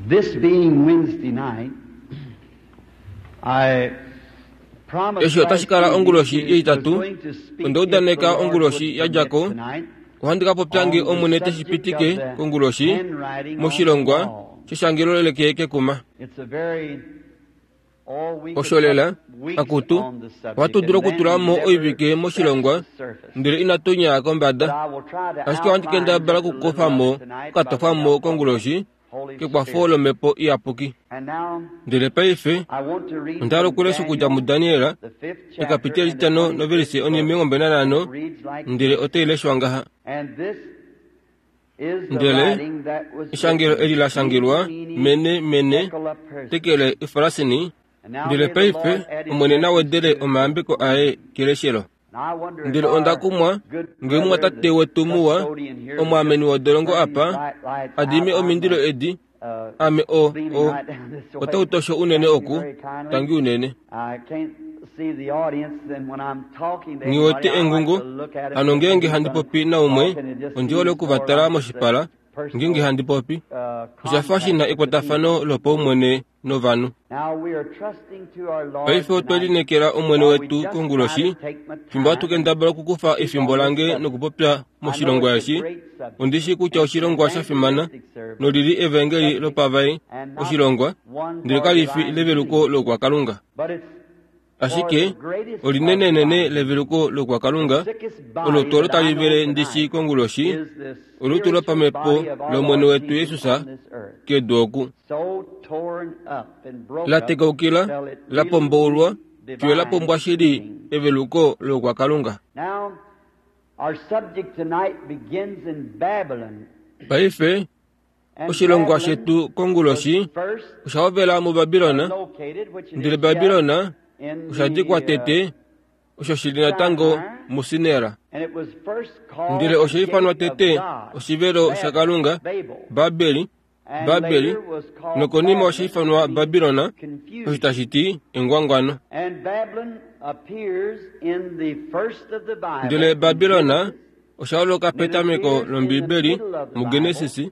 This being Wednesday night, I promised Eshi otashi kala last onguloshi evening yeitatu, I was going to speak onda udaneka if the Lord onguloshi would ya dja ko, permit tonight ohandi ka popya nge on the Omwene te shi subject pitike of the konguloshi handwriting on the moshilongwa wall. sheshangelo leke kekuma. It's a very oh, we could Osho lela, put weeks akutu, on the subject ohatu dulu and then okutula mo never oivike scratch moshilongwa, the surface. ndele inatu nyaa kombada. But I will try to Ashike ohandi outline kendabala just a little okukufa mo, of it tonight by the okukatofa mo help of the konguloshi Holy kekwafo Spirit. lomhepo iyapuki. And now Ndele paife, I want to read onda hala from okulesha okudja Daniel, muDaniel, the fifth chapter ekapiteli and the etitano 25th novelise verse. onimilongo It reads like ndele this. otai leshwa ngaha. And this is the Ndele writing that was eshangelo written, eli la shangelwa Mene, mene mene Tekel Persia. tekele ifarasini And now ndele may the Lord paife add his Omwene na blessings wedele to his omayambeko aye keleshelo. And I wonder if Ndele onda our kumwa good ngee brother, mumwatate the wetu muwa custodian here, would omwaameni just wodolongo turn these apa bright lights adime out. I'm omindilo edi ame o beaming o right down this way. otautosho unene Thank you oku very kindly. tangi unene. I can't see the audience, and when I'm talking to Nghiwete anybody, I like engungu to look at 'em hano because ngeenge if handi I'm popi naumwe talking, it just ondi hole seems oku more va tala like it's a moshipala ngeenge personal handi popi. Osha fa shi na contact with the ekwatafano people. lopaumwene novanhu. Now we are trusting to our Lord Paife otwe tonight lineekela Omwene while we wetu just try konguloshi, to take my fimbo hatu time and kendabala okukufa speak efimbo on this lange subject. nokupopya I know moshilongwa it's a eshi, great subject ondi shi kutya and it's an oshilongwa sha fimana evangelistic service nolili evangeli subject lopavai and not oshilongwa, one ndele for kali fi divine leveluko healing. lokwakalunga. But it's for the Ashike greatest of olinenenene divine leveluko healing. The lokwakalunga sickest olo body twolo that I tali know vele ndishi tonight konguloshi, is the olutu spiritual lopamhepo body of our lOmwene Lord wetu Jesus Jesus on this earth. kedu oku. So torn up and broke La up tekaukila, till it la really pomboulwa, needs fiyo la divine pombwa shili healing. eveluko lokwakalunga. Now, our subject tonight begins in Babylon. Paife, And oshilongwa Babylon shetu was konguloshi first osha hovela muBabilon, located, which it ndele is yet Babilon in osha dikwa the, tete osho shili natango Sinai, muSinera. and it was first called Ndele the osha ifanwa gate of tete God, oshivelo Babel, shaKalunga, Babel, Babeli, and Babeli, later was called nokonima osha Babylon, which ifanwa means Babilon, osho confusion. tashi ti engwangwano. And Babylon appears in the first of the Bible, Ndele in Babilon Genesis, osha holoka and it petameko appears in the lOmbibeli middle of the Bible, muGenesis,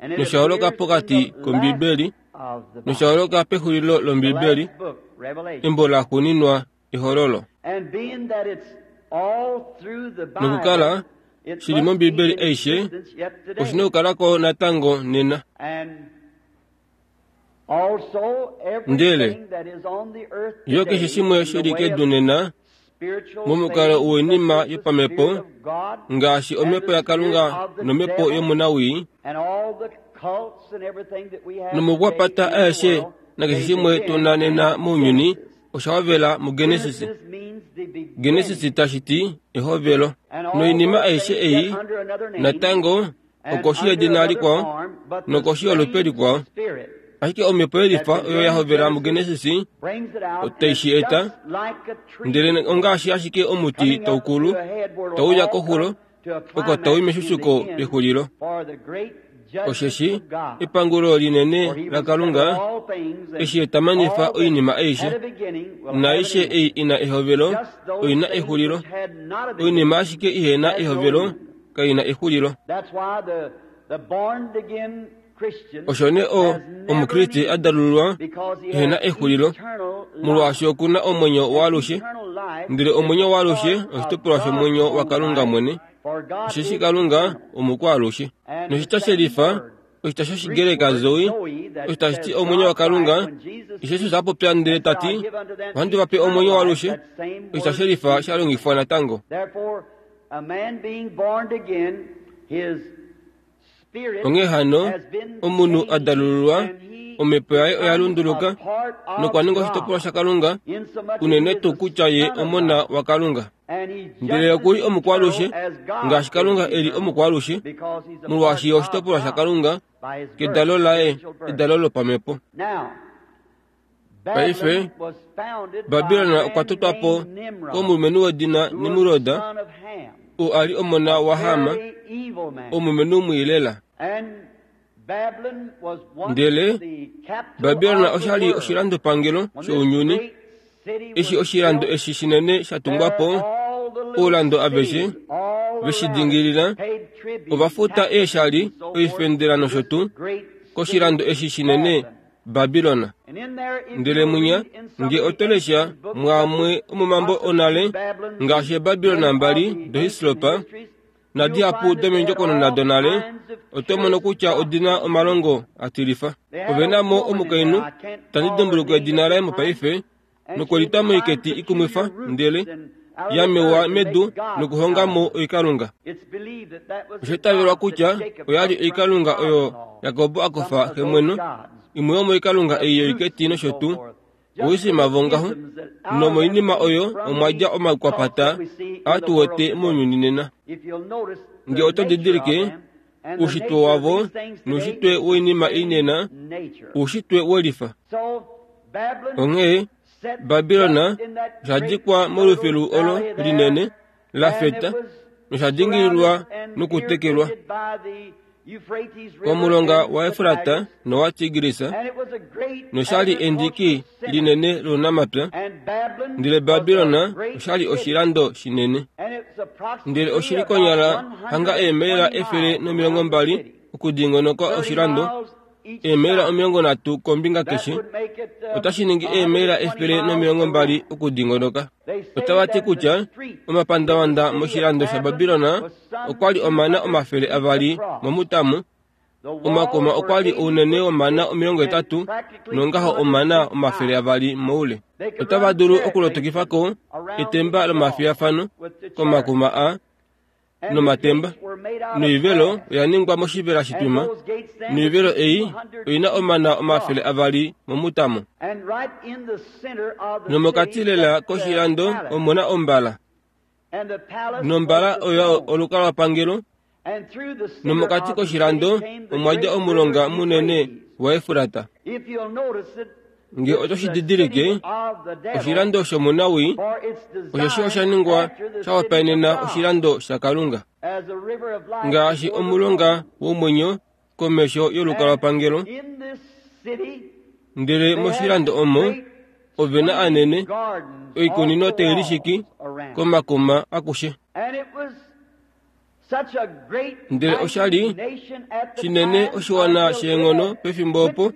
and it nosha holoka appears in pokati the last kOmbibeli, of the nosha Bible, holoka pexulilo the lOmbibeli, last book, Revelation. embo la xuuninwa Ehololo. And being that it's all through the Bible, Nokukala it shili must be mOmbibeli in aishe, existence yet oshina today. okukalako natango nena. And also Ndele everything that is on the earth yo keshe today shimwe in the shili way kedu of nena spiritual momukalo things such woinima as the Spirit yopamhepo of God ngaashi and omhepo the spirit yaKalunga of the nomhepo devil yomunawii and all the cults and everything that we have today nomukwapata in the aeshe world, nakeshe they shimwe tuna began nena in mounyuni Genesis. osha hovela muGenesis. Genesis means the Genesis beginning. tashi ti ehovelo. And all Noinima those aishe things yet ei under another name natango and okoshi under yedina another likwao form, but the nokoshi yolupe same likwao. spirit Ashike omhepo that's yelifa in oyo ya hovela Genesis muGenesis brings it out, and otai it's shi eta, just like a tree ndele ongaashi ashike omuti coming up taukulu to a head where it'll tauya all koxulo come to a oko climax tau in the meshushuko end pexulilo. for the great judgment Osheshi of God. epangulo For he linene will settle laKalunga all things, and eshi etamanifa all that oinima had aishe a beginning will have an naaishe end. ei ina ehovelo Just those oina things exulilo. which had not a Oinima beginning ashike ihena has no ehovelo end. kaina exulilo. That's why the born again Christian Osho nee has never an omukriste end a dalululwa because he ehena has exulilo eternal life. molwaashi okuna omwenyo And waalushe eternal life ndele is omwenyo a waalushe part of oshitopolwa God's shomwenyo own waKalunga life, mwene. for God Osheshi is Kalunga eternal. omukwaalushe. And the Noshitya same shelifa word, oshitya Greek shOshigreka word zoe zoe, that osho tashi ti says omwenyo God's life, waKalunga, when Jesus Jesus speaks a popya ndele and said, ta I'll ti give unto them ohandi va pe eternal omwenyo life, waalushe, that same oshitya word shelifa is sha longifwa natango. Therefore, a man being born again, his spirit Onghee hano, has been omunhu a changed dalululwa, and he omhepo yaye oya becomes a lunduluka part nokwa of ninga oshitopolwa God, shaKalunga, insomuch as he unene is tuu the kutya ye Son of omona God. waKalunga. And he's Ndele just as okuli omukwaalushe eternal as God ngaashi is Kalunga e li eternal, omukwaalushe, because he's a part molwaashi ye of oshitopolwa God shaKalunga by his birth, kedalo laye spiritual birth. edalo lopamhepo. Now, Paife, Babylon was founded by a Babilon okwa man totwa po named Nimrod, komulumenhu wedina who was the Nimrod, son of Ham, oo a li omona a waHam, very evil man. omulumenhu mwiilela. And Babylon was once Ndele the capital Babilon of the osha li world. oshilandopangelo When this shounyuni, great city eshi was oshilando built, eshi shinene sha tungwa there po, all the little oulando aveshe cities all ve shi around it dingilila paid tribute, ova futa taxes, eeshali, and so forth oifendela to nosho this tuu great koshilando eshi shinene Babilona. Ndele munya nge oto lesha mwaamwe omomambo onale ngaashi Babilona mbali doHislopa nadihapu domendjokonona donale, oto mono kutya odina omalongo a tilifa. Ove na mo omukainhu, tandi dimbuluka edina laye mopaife, nokwelitwa moiketi ikumwifa ndele ya mewa medu nokuhonga mo oikalunga. Osha itavelwa kutya oya li oikalunga oyo Jakob a kufa xemweno, imwe yomoikalunga ei yoiketi nosho tuu oisima vongaho, nomoinima oyo omwa dja omaukwapata aa tu wete mounyuni nena. Nge oto didilike, oushitwe wavo noushitwe woinima ei nena, oushitwe welifa. Onghee Babilona osha dikwa molufilu olo linene la feta nosha dingililwa nokutekelwa komulonga waEfrata nowaTigris, nosha li endiki linene lounamapya. Ndele Babilona osha li oshilando shinene, ndele oshi li konyala hanga eemaila 120 okudingonoka oshilando, eemaila 30 kombinga keshe, otashi ningi eemaila 120 okudingonoka. Otava ti kutya omapandavanda moshilando shaBabilona okwa li omana 200 momutamu, omakuma okwa li ounene womana 80 nongaho omana 200 moule. Otava dulu okulotokifa ko etemba lomafiyafano komakuma a nomatemba, noivelo oya ningwa moshivela shitwima, noivelo ei oina omana 200 momutamo. Nomokati lela koshilando omuna ombala, nombala oyo olukalwapangelo, nomokati koshilando omwa dja omulonga munene waEfrata. Nge oto shi didilike, oshilando shomunawii osheshi osha ningwa sha hopaenena oshilando shaKalunga, ngaashi omulonga womwenyo komesho yolukalwapangelo. Ndele moshilando omo ove na anene oikunino tai lishiki komakuma akushe. Ndele osha li shinene oshiwana sheenghono pefimbo opo,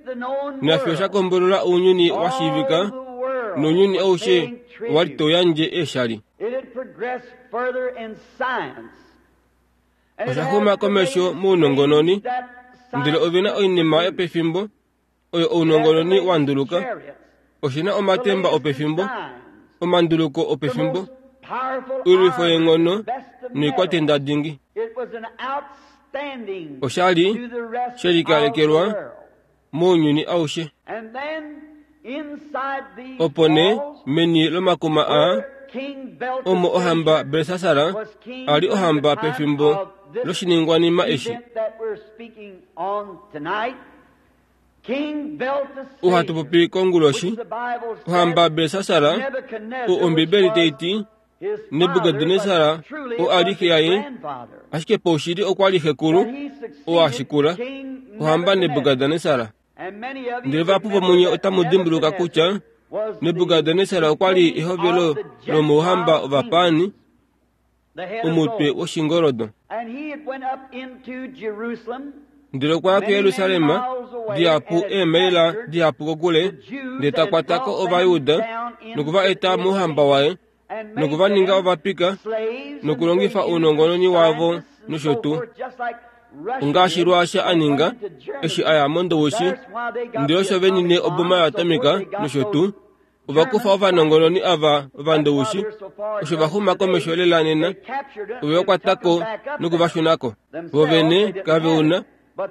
nafyo sha kombolola ounyuni wa shiivika, nounyuni aushe owa li tau yandje eeshali. Osha xuma komesho mounongononi, ndele ove na oinima yopefimbo oyo ounongononi wa nduluka. Oshi na omatemba opefimbo, omanduluko opefimbo, oilwifo yeenghono noikwatenda dingi. Osha li she likalekelwa mounyuni aushe. Opo nee meni lomakuma aa omo ohamba Belsassar a li ohamba pefimbo loshiningwanima eshi. Ohatu popi konguloshi, ohamba Belsassar, o Ombibeli tai ti Nebukadnesar o a li xe yaye, ashike paushili okwa li xekulu oo a shikula ohamba Nebukadnesar. Ndele vahapu vomunye otamu dimbuluka kutya Nebukadnesar okwa li ehovelo lomouhamba ovapaani, omutwe woshingoldo. Ndele okwa ya kuJerusalem dihapu eemaila dihapu kokule, ndele ta kwata ko Ovajuda noku va eta mouhamba waye noku va ninga ovapika nokulongifa ounongononi wavo nosho tuu. Ongaashi Ruasha a ninga eshi a ya mOndowishi, ndele osho ve nine oboma yoatomika nosho tuu. Ova kufa ovanongononi ava ovandowishi, osho va xuma komesho lela nena, ove va kwata ko noku va shuna ko. Vo vene kave una,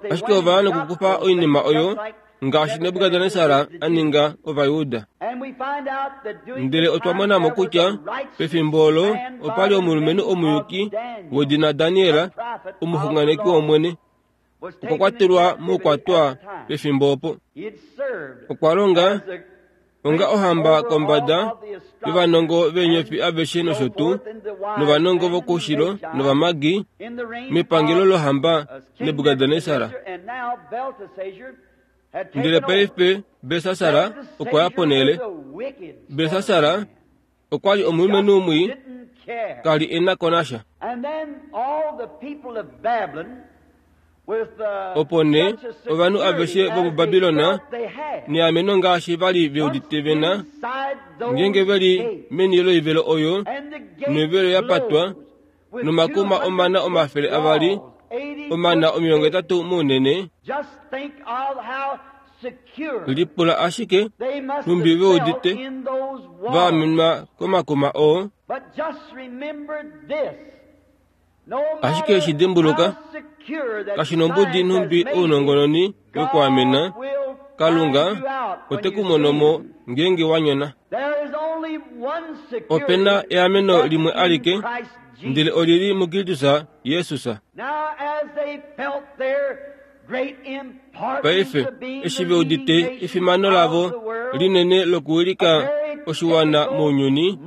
ashike ova ya nokukufa oinima oyo ngaashi Nebukadnesar a ninga Ovajuda. Ndele otwa mona mo kutya pefimbo olo opa li omulumenhu omuyuki wedina Daniel, omuxunganeki wOmwene. Okwa kwatelwa moukwatwa pefimbo opo. Okwa longa onga ohamba kombada yovanongo veenyofi aveshe nosho tuu novanongo vokoushilo novamagi mepangelo lohamba Nebukadnesar. Ndele paife Belsassar okwa ya ponhele. Belsassar okwa li omulumenhu mwii, ka li e na ko nasha. Opo nee ovanhu aveshe vomuBabilon neameno ngaashi va li ve udite ve na, ngeenge ve li meni loivelo oyo, noivelo ya patwa, nomakuma omana 200, omana 80 mounene, lipula ashike nhumbi ve udite va amenwa komakuma oo. Ashike shi dimbuluka, kashi nombudi nhumbi ounongononi wekwaamena, Kalunga ote ku mono mo ngeenge wa nyona. Ope na eameno limwe alike, ndele oli li muKristus Jesus. Paife, eshi ve udite efimano lavo linene lokuwilika oshiwana mounyuni,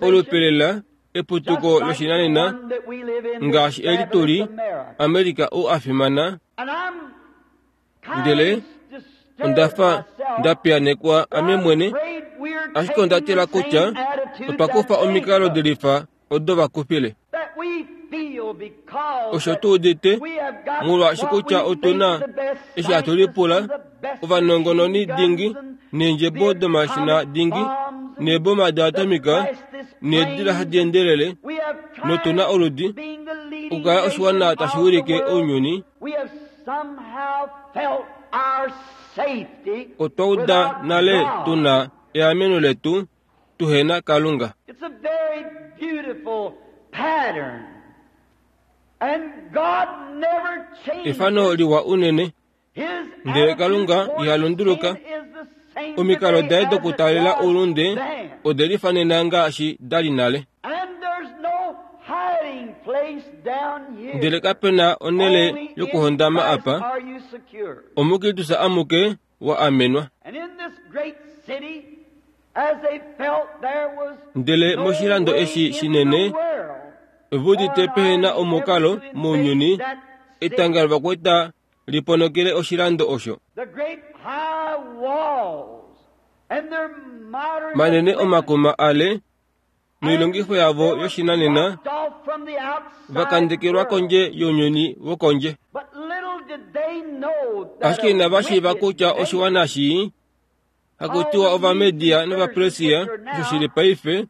olupelela eputuko loshinanena ngaashi eli tu li, Amerika ou a fimana, ndele onda fa nda piyanekwa ame mwene, ashike onda tila kutya otwa kufa omikalo dilifa odo va kufile. Osho tu udite molwaashi kutya otu na eshi hatu lipula ovanongononi dingi neendjebo domashina dingi neeboma doatomika needila hadi endelele notu na oludi okukala oshiwana tashi wilike ounyuni. Otwa uda nale tu na eameno letu tuhena Kalunga. Efano liwa unene, ndele Kalunga iha lunduluka. Omikalo daye dokutaalela oulunde ode lifanena ngaashi da li nale. Ndele kape na onhele yokuhondama apa, omuKristus amuke wa amenwa. Ndele moshilando eshi shinene, ove udite pehe na omukalo mounyuni, etanga lovakwaita liponokele oshilando osho. Manene omakuma ale noilongifo yavo yoshinanena va kandekelwa kondje younyuni wokondje. Ashike inava shiiva kutya oshiwana shii, hakutiwa Ovamedia nOvapersia, osho shi li paife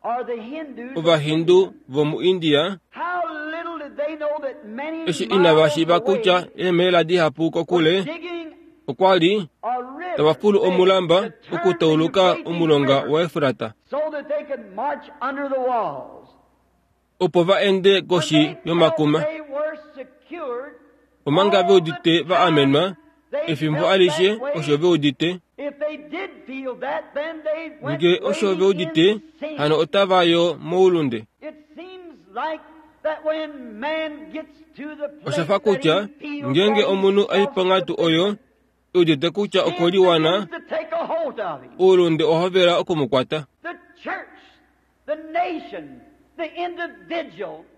Ovahindu vomuIndia, eshi inava shiiva kutya eemhela dihapu kokule okwa li tava fulu omulamba okutauluka omulonga waEfrata, opo va ende koshi yomakuma. Omanga ve udite va amenwa, efimbo alishe osho ve udite. Nge osho ve udite, hano otava yo moulunde. Osha fa kutya ngeenge omunhu a i ponghatu oyo e udite kutya okwe liwana, oulunde owa hovela oku mu kwata.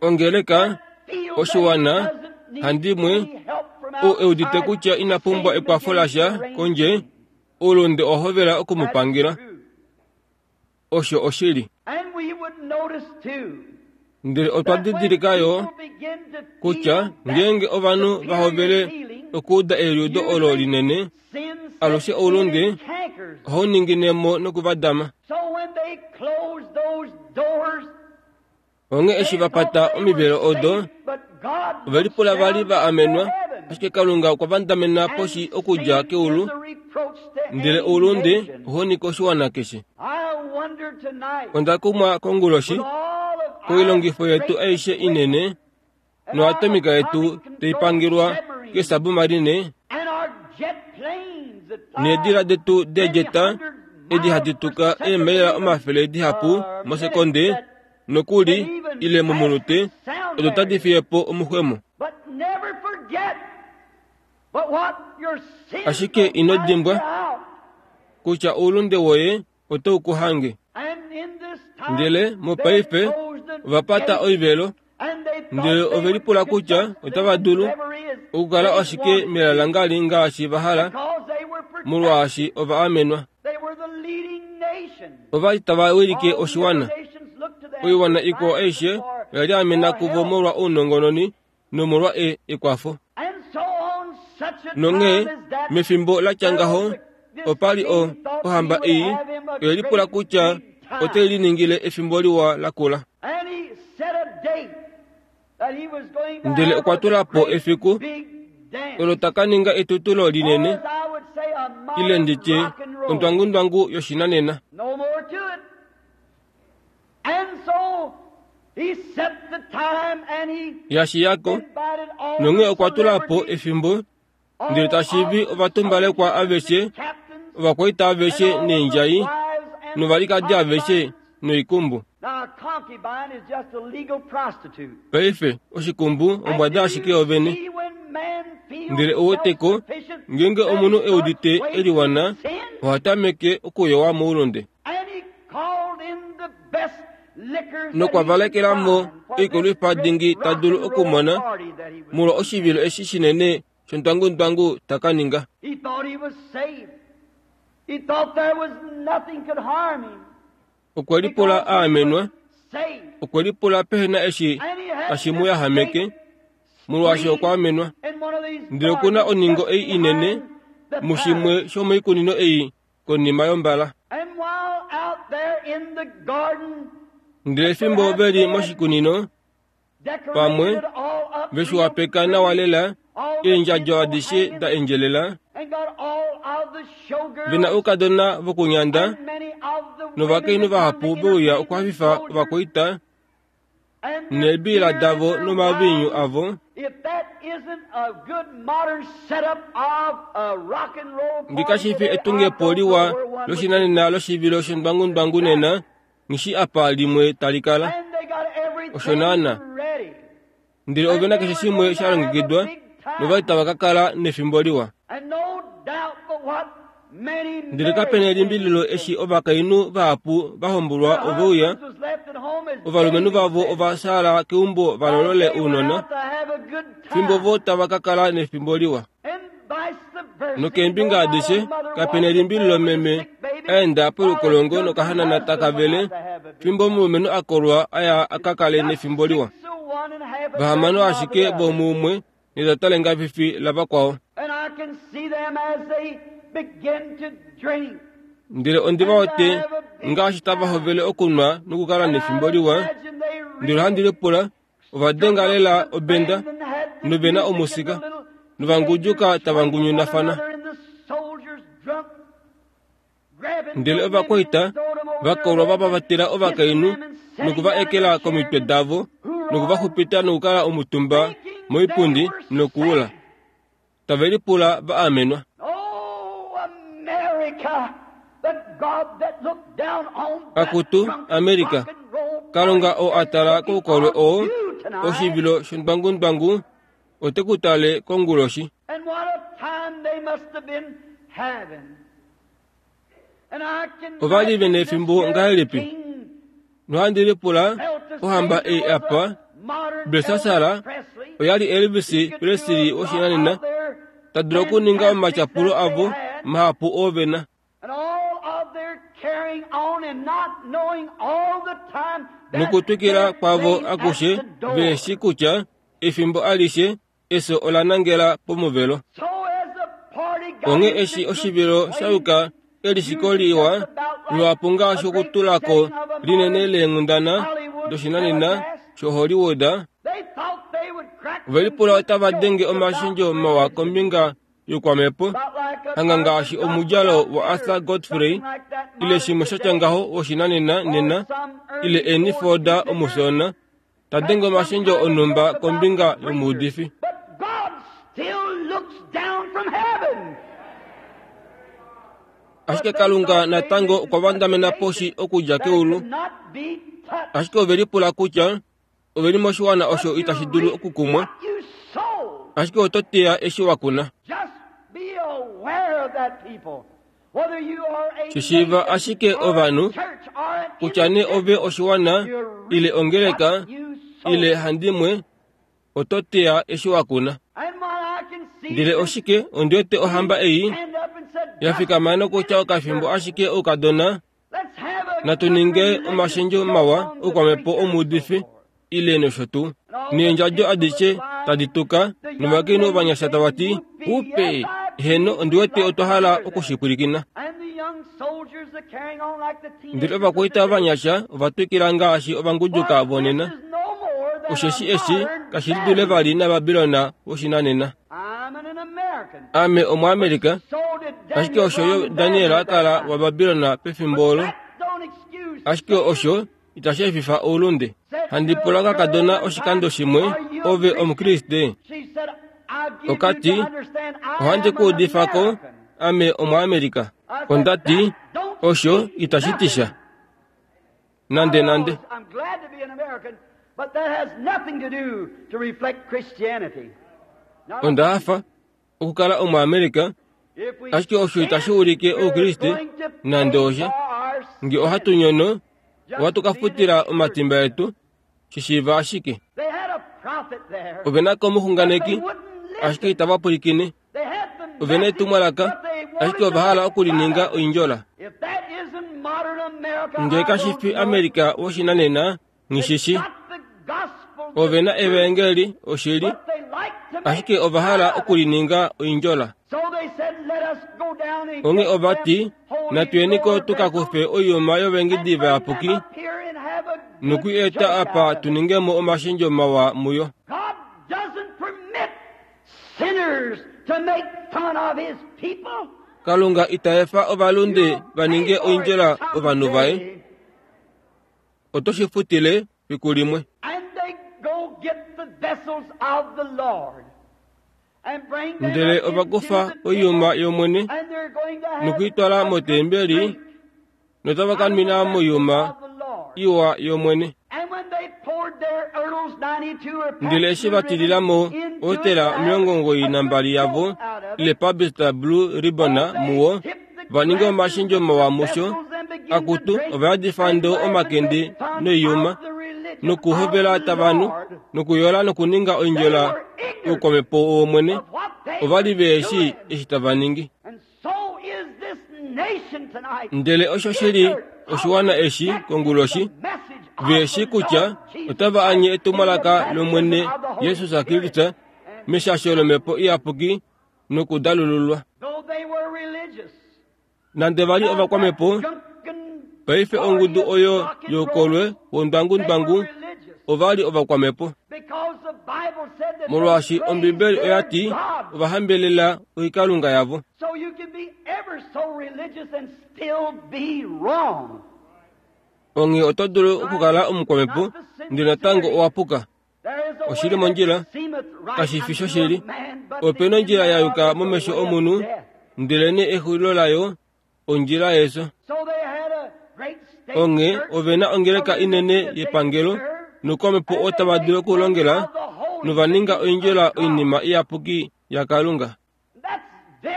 Ongeleka, oshiwana, handimwe, ou e udite kutya ina pumbwa ekwafo lasha kondje, oulunde owa hovela oku mu pangela. Osho oshili. Ndele otwa didilika yo kutya ngeenge ovanhu va hovele okuuda eliudo olo linene, alushe oulunde ohau ningine mo nokuvadama. Onghee eshi va pata omivelo odo, ove lipula va li va amenwa, ashike Kalunga okwa vandamena poshi okudja keulu, ndele oulunde ohau ningi oshiwana keshe. Onda kumwa konguloshi koilongifo yetu aishe inene noatomika yetu tai pangelwa keesabumarine needila detu deedjeta edi hadi tuka eemaila 100 dihapu mosekonde nokuli ile momunute odo tadi fiye po omuxwemo. Ashike ino dimbwa kutya oulunde woye otau ku hange. Ndele mopaife ova pata oivelo, ndele ove lipula kutya otava dulu okukala ashike melalangali ngaashi va hala, molwaashi ova amenwa. Ova li tava wilike oshiwana. Oiwana ikwao aishe oya li amena kuvo molwa ounongononi nomolwa ekwafo. Nonghee mefimbo la tya ngaho, opa li o, ohamba ei oye lipula kutya ote liningile efimbo liwa la kula. Ndele okwa tula po efiku olo ta ka ninga etutulo linene, ile ndi tye ondwangundwangu yoshinanena. Ya shiya ko, nonghee okwa tula po efimbo ndele ta shivi ovatumbalekwa aveshe, ovakwaita aveshe neendjai, novalikadi aveshe noikumbu. Paife, oshikumbu ombwada ashike yovene. Ndele ou weteko, ngeenge omunhu e udite e liwana, oha tameke okuyowa moulunde. Nokwa valekela mo oikolwifa dingi ta dulu okumona molwa oshivilo eshi shinene shondwangundwangu ta ka ninga. Okwe lipula a amenwa, okwe lipula pehe na eshi tashi mu yahameke, molwaashi okwa amenwa. Ndele oku na oningo ei inene mushimwe shomoikunino ei konima yombala. Ndele fimbo ve li moshikunino, pamwe ve shi wapeka nawa lela, eendjadjo adishe da endjelela, ve na oukadona vokunyanda novakainhu vahapu ve uya okuhafifa ovakwaita neebiila davo nomaviinyu avo. Nge kashi fi etungepo liwa loshinanena loshivilo shondwangundwangu nena, Nghi apa limwe tali kala. Osho naana. Ndele ove na keshe shimwe sha longekidwa, nova li tava ka kala nefimbo liwa. Ndele kape na elimbililo eshi ovakainhu vahapu va hombolwa ove uya, ovalumenhu vavo ova shaala keumbo va lolole ounona, fimbo vo tava ka kala nefimbo liwa. Nokeembinga adishe, kape na elimbililo meme a enda polukolongo nokahanana taka vele, fimbo omulumenhu a kolwa a ya a ka kale nefimbo liwa. Vahamano ashike vomuumwe netata lengafifi lavakwao. Ndele ondi va wete ngaashi tava hovele okunwa nokukala nefimbo liwa, ndele ohandi lipula Ova denga lela obenda nove na omusika novanguduka tava ngunyunafana. Ndele ovakwaita va kolwa va pavatela ovakainhu noku va ekela komitwe davo noku va xupita nokukala omutumba moipundi nokuula, tave lipula va amenwa. Akutu, America, Kalunga oo a tala koukolwe oo, oshivilo shondwangundwangu, ote ku tale konguloshi. Ova li ve nefimbo ngahelipi? Nohandi lipula, ohamba ei apa, Belsassar, oya li Elvis Presley woshinanena, ta dulu okuninga omatyapulo avo mahapu oo ve na. Nokutwikila kwavo akushe ve shi kutya efimbo alishe efyo ola nangela pomuvelo. Onghee eshi oshivilo sha yuka elishiko liwa luhapu ngaashi okutula ko linene leenghundana doshinanena shoHollywood, ove lipula otava denge omashendjo mawa kombinga youkwamhepo, hanga ngaashi omudjalo waArthur Godfrey ile shimwe sha tya ngaho woshinanena nena, ile Ernie Ford omusona, ta denge omashendjo onhumba kombinga yomuudifi. Ashike Kalunga natango okwa vandamena poshi okudja keulu. Ashike ove lipula kutya ove li moshiwana osho itashi dulu okukumwa. Ashike oto teya eshi wa kuna. Shi shiiva ashike ovanhu, kutya nee ove oshiwana, ile ongeleka, ile handimwe, oto teya eshi wa kuna. Ndele oshike ondi wete ohamba ei ya fikama nokutya okafimbo ashike oukadona, natu ninge omashendjo mawa oukwamhepo omuudifi, ile nosho tuu. Neendjadjo adishe tadi tuka, novakainhu ovanyasha tava ti, Upe! Heeno, ondi wete otwa hala oku shi pwilikina. Ndele ovakwaita ovanyasha ova twikila ngaashi ovanguduka vonena. Osheshi eshi kashi lidule vali naBabilon woshinanena. Ame Omuamerika, ashike osho yo Daniel a kala waBabilon pefimbo olo. Ashike osho itashi efifa oulunde. Handi pula kakadona oshikando shimwe, ove Omukriste? Oka ti, ohandi ku udifa ko, ame Omuamerika. Onda ti, osho itashi ti sha. Nande nande. Onda hafa okukala Omuamerika, ashike osho itashi ulike Oukriste nande osha. Nge ohatu nyono, ohatu ka futila omatimba etu, shi shiiva ashike. Ove na ko omuxunganeki, ashike itava pwilikine. Ove na etumwalaka, ashike ova hala okulininga oindjola. Nge kashi fi Amerika woshinanena, nghishishi. Ove na evaengeli, oshili, ashike ova hala okulininga oindjola. Onghee ova ti, Natu yeni ko tu ka kufe oiyuma yovengidi vayapuki noku i eta apa tu ninge mo omashendjo mawa muyo. Kalunga ita efa ovalunde va ninge oindjola ovanhu vaye. Oto shi futile fiku limwe. Ndele ova kufa oiyuma yOmwene noku i twala motembeli, notava ka nwina moiyuma iwa yOmwene. Ndele eshi va tilila mo otela 92 yavo ile Pabst Blue Ribbon muwo, va ninga omashendjo mawa musho, akutu ova yadifa ndo omakende noiyuma, nokuhovela tava nu, nokuyola nokuninga oindjola youkwamhepo wOmwene, ova li ve shii eshi tava ningi. Ndele osho shi li oshiwana eshi konguloshi, ve shii kutya otava anye etumwalaka lOmwene Jesus Kristus meshasho lOmhepo Iyapuki nokudalululwa. Nande va li ovakwamhepo, paife ongudu oyo youkolwe wondwangundwangu ova li ovakwamhepo. Molwaashi Ombibeli oya ti ova hambelela oikalunga yavo. Onghee oto dulu okukala omukwamhepo ndele natango owa puka. Oshi li mondjila, kashi fi shoshili. Ope na ondjila ya yuka momesho omunhu, ndelenee exulilo layo ondjila yefyo. Onghee ove na ongeleka inene yepangelo nokwamhepo oo tava dulu okulongela, nova ninga oindjila oinima iyapuki yaKalunga.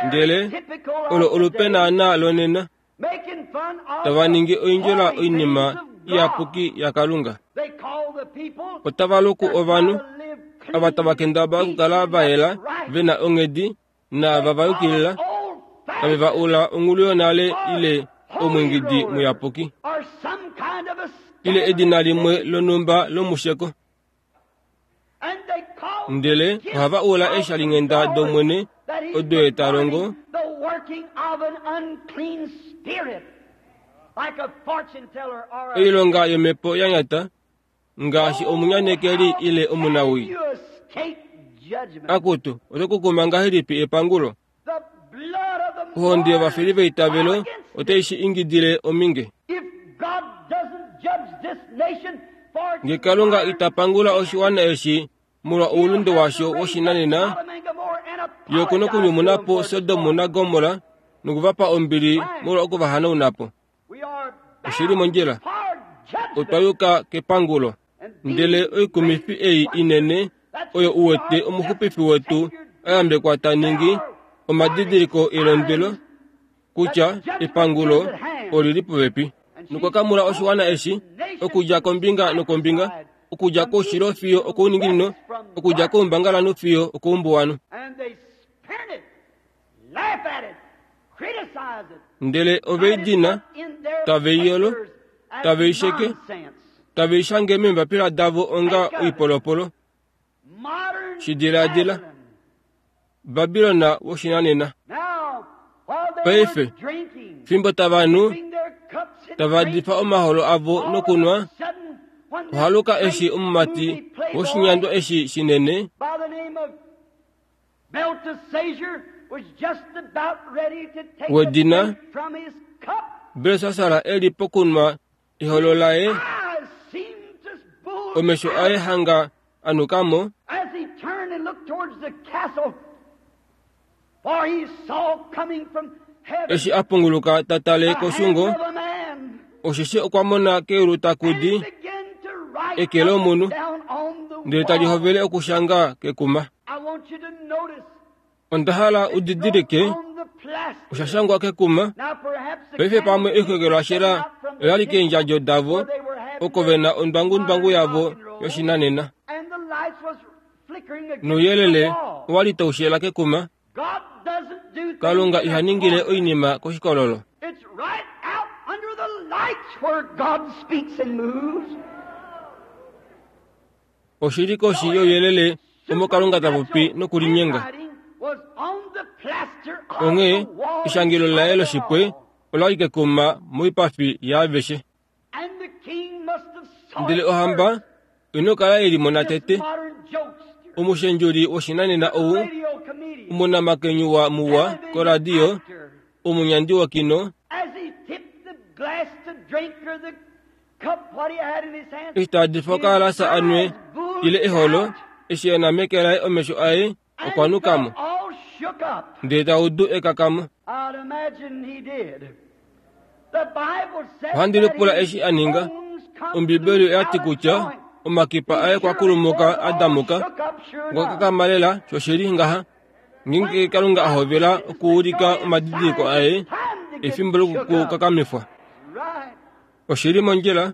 Ndele olo olupe naanaa lonena, tava ningi oindjola oinima iyapuki yaKalunga. Otava luku ovanhu ava tava kendabala okukala va yela, ve na onghedi naava va yukilila, tave va ula ongulu yonale ile omwiingidi muyapuki ile edina limwe lonhumba lomusheko. Ndele ohava ula eeshalinghenda dOmwene odo Ye ta longo, oilonga yomhepo ya nyata, ngaashi omunyanekeli ile omunawii. Akutu, oto kukuma ngahelipi epangulo? Ohonde yovafeli veitavelo otai shi ingidile ominge. Nge Kalunga ita pangula oshiwana eshi molwa oulunde washo woshinanena, Ye oku nokunyumuna po Sodom naGomorra noku va pa ombili molwa oku va hanauna po. Oshi li mondjila. Otwa yuka kepangulo. Ndele oikumifi ei inene oyo u wete omuxupifi wetu a yambekwa ta ningi, omadidiliko elondwelo kutya epangulo oli li popepi. Nokwa kamula oshiwana eshi okudja kombinga nokombinga, okudja koushilo fiyo okouninginino, okudja koumbangalanhu fiyo okoumbuwanhu. Ndele ove i dina, tave i yolo, tave i sheke, tave i shange meembapila davo onga oipolopolo. Shi diladila, Babilon woshinanena. Paife, fimbo tava nu, tava difa omaholo avo nokunwa, ohaluka eshi omumati woshinyandwa eshi shinene wedina Belsassar e li pokunwa eholo laye, omesho aye hanga a nuka mo. Eshi a punguluka ta tale koshungo, osheshi okwa mona keulu taku di eke lomunhu, ndele tali hovele okushanga kekuma. Onda hala u didilike, osha shangwa kekuma. Paife pamwe eihekelo lashela ola li keendjadjo davo, oko ve na ondwangundwangu yavo yoshinanena. Nouyelele owa li tau shela kekuma. Kalunga iha ningile oinima koshikololo. Oshi li koshi youyelele omo Kalunga ta popi nokulinyenga. Onghee eshangelo laye loshipwe ola li kekuma moipafi yaaveshe. Ndele ohamba ino kala ye limona tete. Omushendjuli woshinanena ou, omunamakenyuwa muwa koradio, omunyandi wokino, Eshi ta difa okaalasa a nwe ile eholo, eshi e na meke laye omesho aye okwa nuka mo, ndele ta udu ekakamo. Ohandi lipula eshi a ninga. Ombibeli oya ti kutya omakipa aye okwa kulumuka a damuka, okwa kakama lela shoshili ngaha. Ngeenge Kalunga a hovela okuulika omadidiliko aye, efimbo lokukakamifwa. Oshi li mondjila.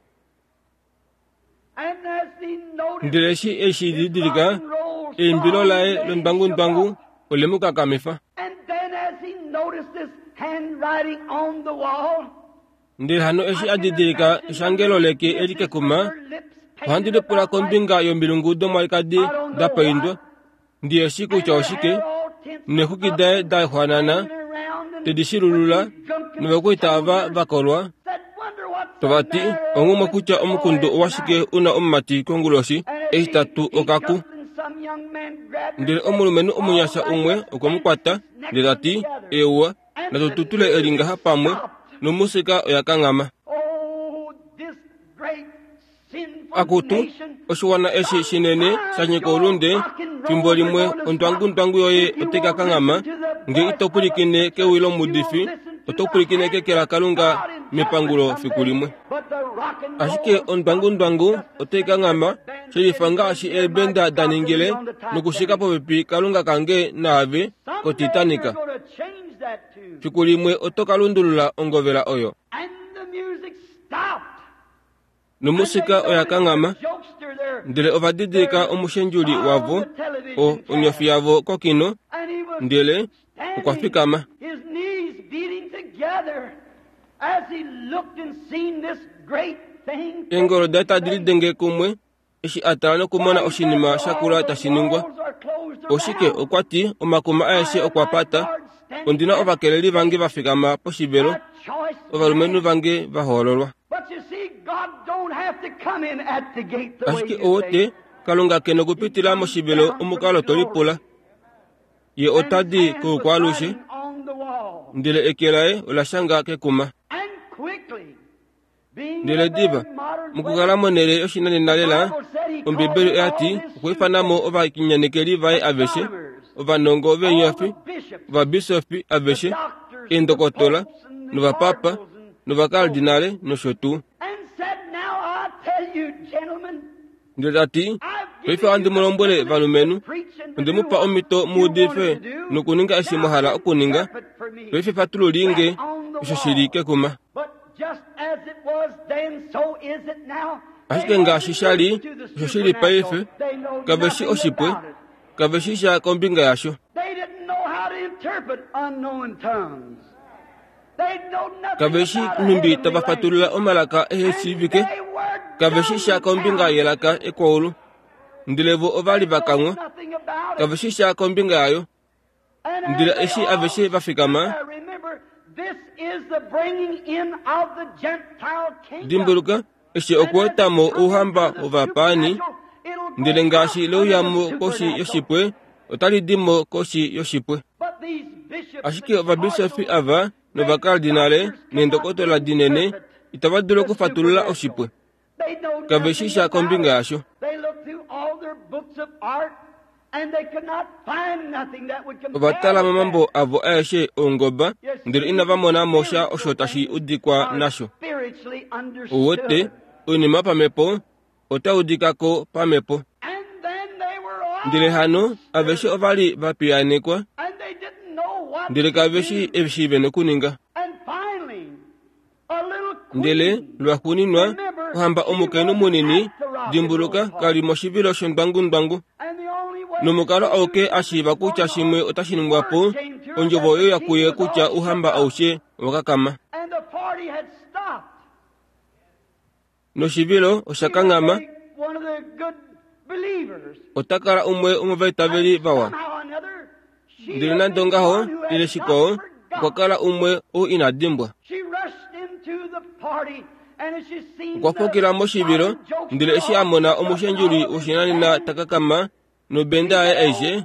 Ndele eshi e shi didilika, eimbilo laye londwangundwangu ole mu kakamifa. Ndele hano eshi a didilika eshangelo leke eli kekuma, ohandi lipula kombinga yomilungu domwalikadi da paindwa. Ndi eshi kutya oshike, neexwiki daye da xwanana te di shilulula, novakwaita ava va kolwa tava ti, Onghumwe kutya omukundu owashike u na omumati konguloshi eshi ta tu okaku. Ndele omulumenhu omunyasha umwe okwe mu kwata, ndele ta ti, Eewa, natu tutule eli ngaha pamwe, nomusika oya kanghama. Akutu, oshiwana eshi shinene sha nyika oulunde, fimbo limwe ondwangundwangu yoye otai ka kanghama, nge ito pwilikine kewi lomuudifi, oto pwilikine keke laKalunga mepangulo fiku limwe. Ashike ondwangundwangu otai kanghama, shelifa ngaashi eebenda da ningile, nokushika popepi Kalunga kange naave koTitanic. Fiku limwe oto ka lundulula ongovela oyo. Nomusika oya kanghama, ndele ova didilika omushendjuli wavo, o, onyofi yavo kokino, ndele okwa fikama. Eengolo daye tadi lidenge kumwe eshi a tala nokumona oshinima sha kula tashi ningwa. Oshike, okwa ti, omakuma aeshe okwa pata. Ondi na ovakeleli vange va fikama poshivelo, ovalumenhu vange va hoololwa. Ashike ou wete, Kalunga ke nokupitila moshivelo omukalo to lipula. Ye ota di koukwaalushe, ndele eke laye ola shanga kekuma. Ndele diva, mokukala monhele yoshinanena lela, Ombibeli oya ti okwa ifana mo ovakinyanekeli vaye aveshe, ovanongo veenyofi, ovabisofi aveshe, eendokotola, novapapa, novakardinale nosho tuu. Ndele ta ti, Paife ohandi mu lombwele valumenhu, onde mu pa omhito mu udife nokuninga eshi mwa hala okuninga. Paife fatululii nge osho shi li kekuma. Ashike ngaashi sha li osho shi li paife, kave shi oshipwe, kave shi sha kombinga yasho. Kave shi nhumbi tava fatulula omalaka ehe shiivike, kave shi sha kombinga yelaka ekwaulu. Ndele vo ova li va kanghwa, kave shi sha kombinga yayo. Ndele eshi aveshe va fikama, dimbuluka, eshi okuweta mo ouhamba wovapaani, ndele ngaashi leuya mo koshi yoshipwe, otali di mo koshi yoshipwe. Ashike ovabisofi ava novakardinale neendokotola dinene itava dulu okufatulula oshipwe. Kave shi sha kombinga yasho. Ova tala momambo avo aeshe oungoba, ndele inava mona mo sha osho tashi udikwa nasho. Ou wete, oinima yopamhepo otai udika ko pamhepo. Ndele hano aveshe ova li va piyaanekwa, ndele kave shii eshi ve nokuninga. Ndele lwaxuuninwa, ohamba omukainhu munini, dimbuluka, ka li moshivilo shondwangundwangu. Nomukalo auke a shiiva kutya shimwe otashi ningwa po, ondjovo oyo ya kuye kutya ouhamba aushe owa kakama. Noshivilo osha kanghama. Ota kala umwe womovaitaveli vawa. Ndele nande ongaho, ile shikwao, okwa kala umwe ou ina dimbwa. Okwa fukila moshivilo, ndele eshi a mona omushendjuli woshinanena ta kakama nobenda yaye aishe,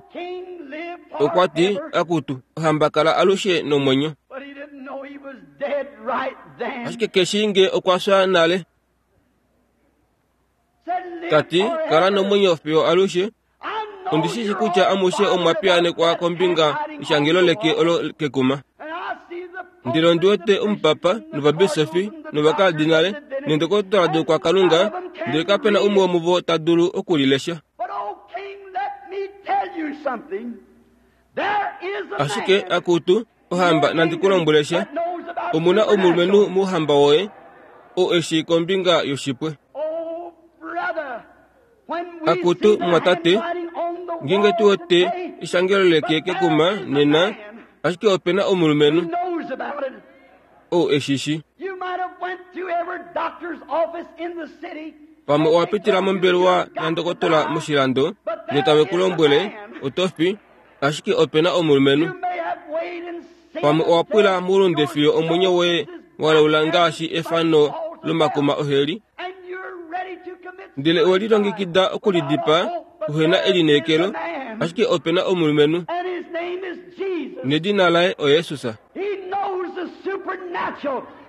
okwa ti, Akutu, ohamba kala alushe nomwenyo. Ashike keshi nge okwa fya nale. Ta ti, Kala nomwenyo fiyo alushe. Ondi shi shi kutya amushe omwa piyaanekwa kombinga yeshangelo leke olo kekuma. Ndele ondi wete omupapa novabisofi novakardinale neendokotola doukwakalunga, ndele kape na umwe womuvo ta dulu oku li lesha. Ashike, akutu, ohamba, nandi ku lombwele sha. Omu na omulumenhu mouhamba woye, oo e shii kombinga yoshipwe. Akutu, mumwatate, ngeenge tu wete eshangelo leke kekuma nena, ashike ope na omulumenhu ou e shi shi. Pamwe owa pitila mombelewa yandokotola moshilando, notave ku lombwele, oto fi, ashike ope na omulumenhu. Pamwe owa pwila moulunde fiyo omwenyo woye wa laula ngaashi efano lomakuma oheli, ndele owe lilongekida okulidipaa uhe na elineekelo, ashike ope na omulumenhu, nedina laye oJesus.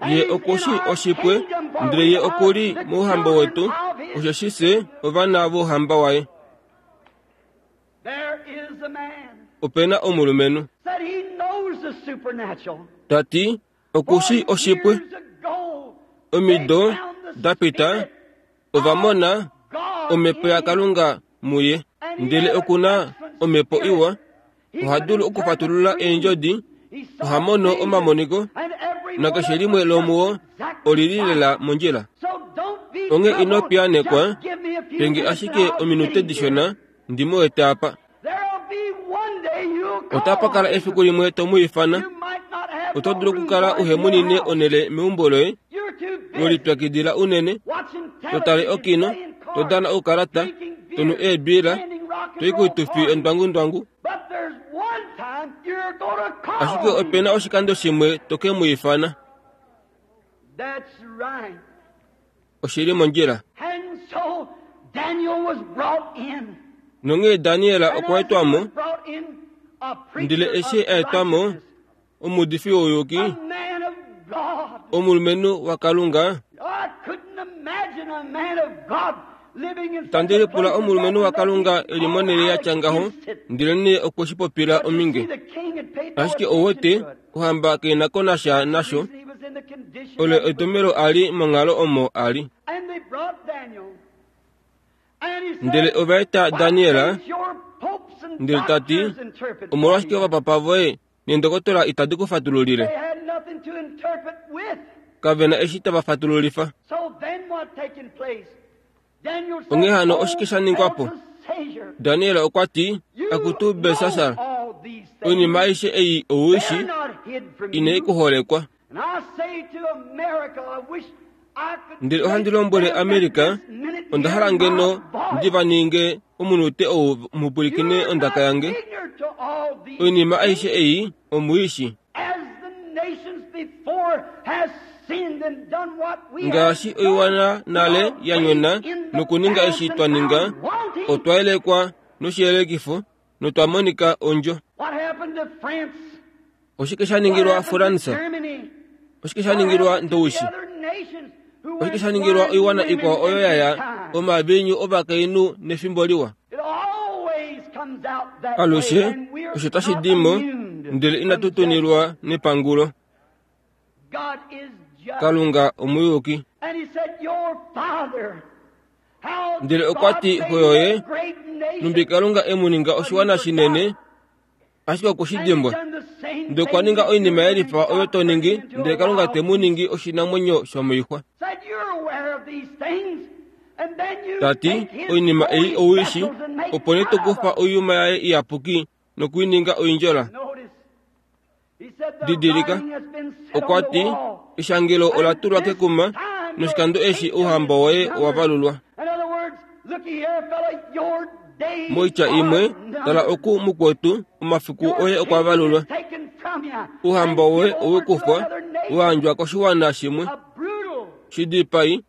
Ye oku shii oshipwe, ndele ye oku li mouhamba wetu, osheshi fye ovana vouhamba waye. Ope na omulumenhu. Ta ti, Oku shii oshipwe. Omido da pita, ova mona Omhepo yaKalunga muye. Ndele oku na omhepo iwa. Oha dulu okufatulula eendjodi, oha mono omamoniko, nakeshe limwe lomuo oli li lela mondjila. Onghee ino piyaanekwa, pe nge ashike ominute dishona ndi mu wete apa. Otapa kala efiku limwe to mu ifana. Oto dulu okukala uhe munine onhele meumbo loye, we lipyakidila unene, to tale okino, to dana oukalata, to nu eebiila, to i koitufi yondwangundwangu. Ashike ope na oshikando shimwe to ke mu ifana. Oshi li mondjila. Nonghee Daniel okwa etwa mo, ndele eshi a etwa mo, omuudifi wouyuki, omulumenhu waKalunga, Itandi lipula omulumenhu waKalunga e li monhele ya tya ngaho, ndelenee okwe shi popila ominge. Ashike ou wete, ohamba kai na ko nasha nasho. Olo etomhelo a li monghalo omo a li. Ndele ova eta Daniel, ndele ta ti, Omolwashike ovapapa voye neendokotola itadi ku fatululile? Kave na eshi tava fatululifa. Onghee hano oshike sha ningwa po? Daniel okwa ti, Akutu Belsassar, oinima aishe ei ou i shi, inai ku holekwa. Ndele ohandi lombwele Amerika, onda hala ngeno ndi va ninge omunute ou mupwilikine ondaka yange. Oinima aishe ei omuishi. Ngaashi oiwana nale ya nyona nokuninga eshi twa ninga, otwa yelekwa noshiyelekifo notwa monika ondjo. Oshike sha ningilwa Fransa? Oshike sha ningilwa Ndowishi? Oshike sha ningilwa oiwana ikwao oyo yaya omaviinyu ovakainhu nefimbo liwa? Alushe osho tashi di mo, ndele inatu tunilwa nepangulo. Kalunga omuyuki. Ndele okwa ti xoyoye, numbi Kalunga e mu ninga oshiwana shinene, ashike okwe shi dimbwa. Ndele okwa ninga oinima ye lifa oyo to ningi, ndele Kalunga te mu ningi oshinamwenyo shomoixwa. Ta ti, oinima ei owishi, opo nee to kufa oiyuma yaye iyapuki noku i ninga oindjola. Didilika, okwa ti, eshangelo ola tulwa kekuma, noshikando eshi ouhamba woye owa valulwa. Moitya imwe, tala oku mukwetu, omafiku oye okwa valulwa. Ouhamba woye owe kufwa, wa yandjwa koshiwana shimwe. Shidipai,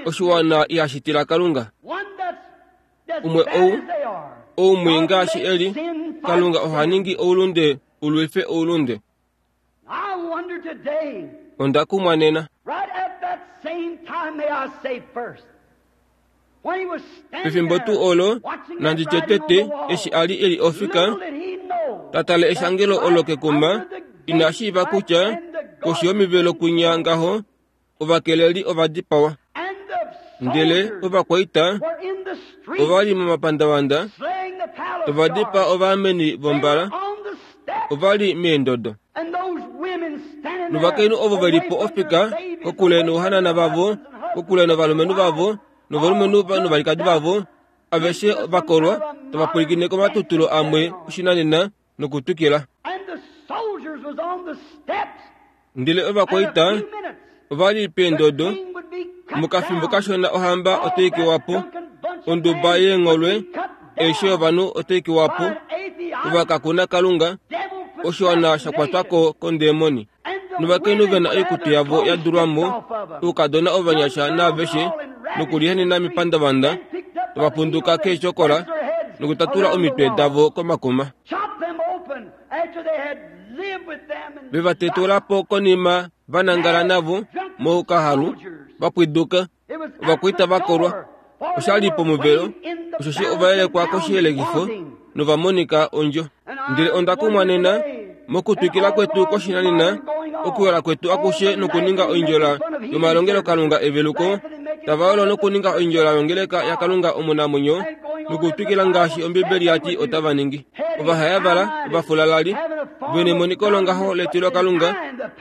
oshiwana ihashi tila Kalunga. Umwe ou, ou mwii ngaashi e li, Kalunga oha ningi oulunde u lwife oulunde. Onda kumwa nena. Pefimbo tuu olo, nandi tye tete, eshi a li e li ofika, ta tale eshangelo olo kekuma, ina shiiva kutya koshi yomivelo kwinya ngaho ovakeleli ova dipawa. Ndele ovakwaita ova li momapandavanda tava dipaa ovaameni vombala, ova li meendodo. Novakainhu ovo ve li po ofika kokule nouhanana vavo, kokule novalumenhu vavo, novalumenhu novalikadi vavo, aveshe va kolwa, tava pwilikine komatutulo amwe oshinanena nokutwikila. Ndele ovakwaita ova li peendodo, mokafimbo kashona ohamba otai kewa po, onduba yeengholwe, eishe yovanhu otai kewa po, ovakakuna Kalunga, oshiwana sha kwatwa ko kondemoni. Novakainhu ve na oikutu yavo ya dulwa mo, oukadona ovanyasha naaveshe, nokulihanena mepandavanda, tava punduka keeshokola nokutatula omitwe davo komakuma. Ve va tetula po konima va nangala navo moukahalu, va pwiduka, ovakwaita va kolwa. Osha li pomuvelo, osheshi ova yelekwa koshiyelekifo nova monika ondjo. Ndele onda kumwa nena, mokutwikila kwetu koshinanena, okuyola kwetu akushe nokuninga oindjola yomalongelokalunga eveluko, tava yolo nokuninga oindjola yongeleka yaKalunga omunamwenyo, nokutwikila ngaashi Ombibeli ya ti otava ningi. Ovahayavala, ovafulalali, ve nemoniko longaho letilokalunga,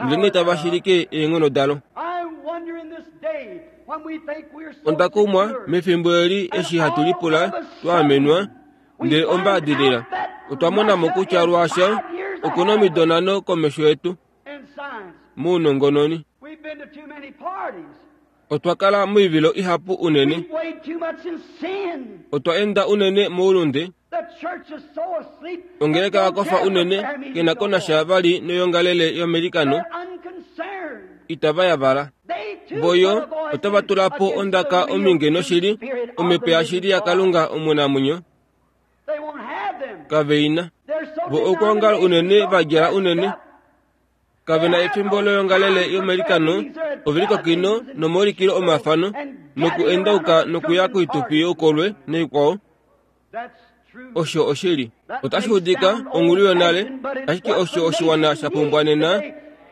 ndelenee tava shilike eenghono dalo. Onda kumwa mefimbo eli eshi hatu lipula twa amenwa, ndele ombaadilila otwa mona mo kutya lwaasha oku na omido nhano komesho yetu mounongononi. Otwa kala moivilo ihapu unene. Otwa enda unene moulunde. Ongeleka ya kofa unene ke na ko nasha vali noyoongalele yomelikano. Itava yavala. Voyo otava tula po ondaka ominge noshili, omhepo yashili yaKalunga omunamwenyo. Kave i na. Vo okwoongala unene va djala unene. Kave na efimbo loyoongalele yomelikano, ove li kokino nomaulikilo omafano, nokuendauka nokuya koitufi youkolwe naikwao. Osho oshili. Otashi udika onghulu yonale, ashike osho oshiwana sha pumbwa nena.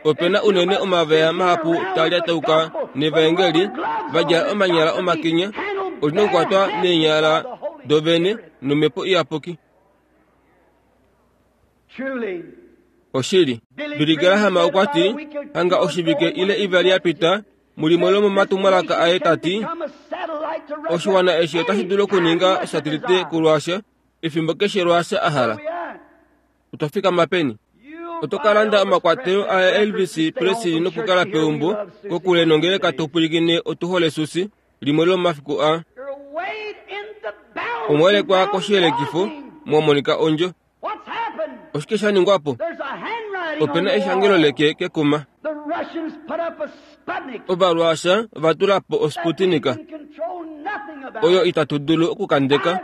Ope na unene omaveya mahapu taa lyatauka nevaengeli va djala omanyala omakinya, oli nokukwatwa neenyala dovene nomhepo iyapuki. Oshili. Billy Graham okwa ti, hanga oshivike ile ivali ya pita, mulimwe lomomatumwalaka aye ta ti, Oshiwana eshi otashi dulu okuninga osatelite kuRussia efimbo keshe Russia a hala. Otwa fikama peni? Oto ka landa omakwatelo a Elvis Presley nokukala peumbo kokule nongeleka to pwilikine Otu hole Susi limwe lomomafiku aa. Omwa koshiyelekifo mwa monika ondjo. Oshike sha ningwa po? Ope na eshangelo leke kekuma. Ovaruasha ova tula po osputnika oyo itatu dulu okukandeka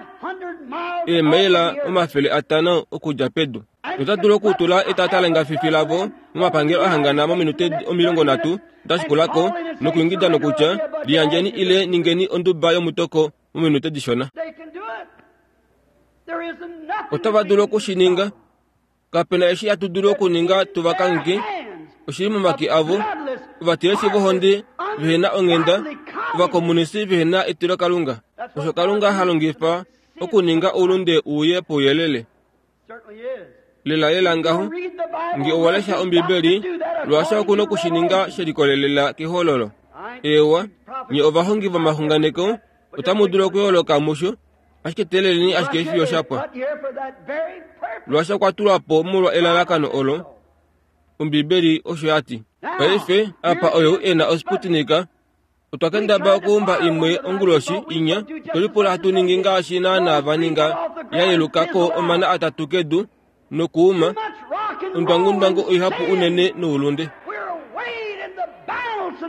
eemaila 500 okudja pedu. Nota dulu okutula etata lengafifi lavo momapangelo a hangana mominute 30 da shikula ko nokuingida nokutya, Liyandjeni ile ningeni onduba yomutoko mominute dishona. Otava dulu oku shi ninga. Kape na eshi hatu dulu okuninga tu va kangheke. Oshi li momake avo, ovatilesi vohonde vehe na onghenda, ovakomunisi vehe na etilokalunga. Osho Kalunga ha longifa okuninga oulunde u uye pouyelele. Lelalela ngaho, nge owa lesha Ombibeli, lwaasha oku noku shi ninga she likolelela kehololo. Eewa, nye ovahongi vomaxunganeko otamu dulu okuyooloka musho, ashike teeleleni ashike fiyo sha pwa. Lwaasha okwa tulwa po molwa elalakano olo, Ombibeli osho ya ti. Paife, apa oyou e na osputnika, Otwa kendaba okuumba imwe onguloshi inya, to lipula hatu ningi ngaashi naanaa va ninga, ya yeluka ko omana atatu kedu nokuuma ondwangundwangu oihapu unene noulunde.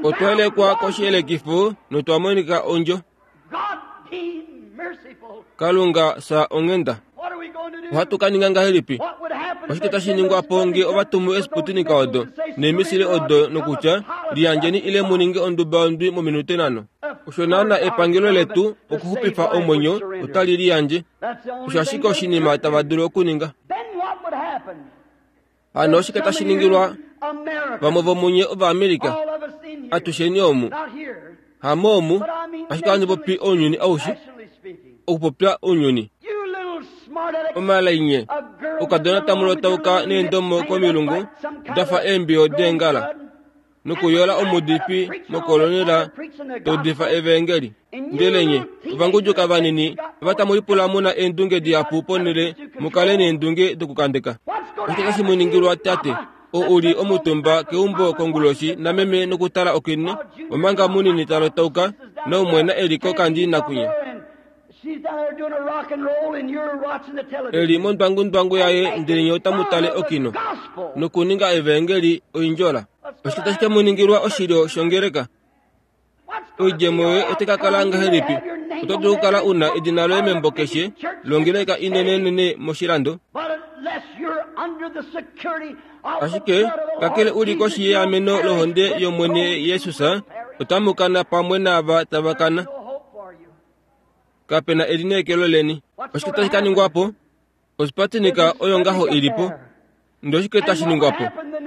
Otwa yelekwa koshiyelekifo notwa monika ondjo. Kalunga sa onghenda. Ohatu ka ninga ngahelipi? Oshike tashi ningwa po nge ova tumu esputinika odo neemisile odo nokutya liyandjeni ile mu ninge onduba yondwi mominute nhano? Osho naana epangelo letu okuxupifa omwenyo otali liyandje. Osho ashike oshinima tava dulu okuninga. Hano oshike tashi ningilwa vamwe vomunye Ovaamerica? Atusheni omu. Hamo omu, ashike ohandi popi ounyuni aushe, okupopya ounyuni. Omalainye, okadona tamu lotauka neendomo komilungu da fa eembiyo deengala. nokuyola omuudifi mokolonela ta udifa evaengeli. Ndele nye, ovangudjuka vanini, ava tamu lipula mu na eendunge dihapu ponhele mu kale neendunge dokukandeka. Oshike tashi mu ningilwa tate, oo u li omutumba keumbo konguloshi nameme nokutala okino, omanga munini ta lotauka naumwena e li kokandi nakwinya? E li mondwangundwangu yaye ndele nye otamu tale okino nokuninga evaengeli oindjola. Oshike tashi ke mu ningilwa oshilyo shongeleka? Oidjemo yoye otai ka kala ngahelipi? Oto dulu okukala u na edina loye membo keshe longeleka inenenene moshilando. Ashike kakele u li koshi yeameno lohonde yOmwene Jesus, otamu kana pamwe naava tava kana. Kape na elineekelo leni. Oshike tashi ka ningwa po? Ospatinika oyo ngaho i li po. Ndele oshike tashi ningwa po?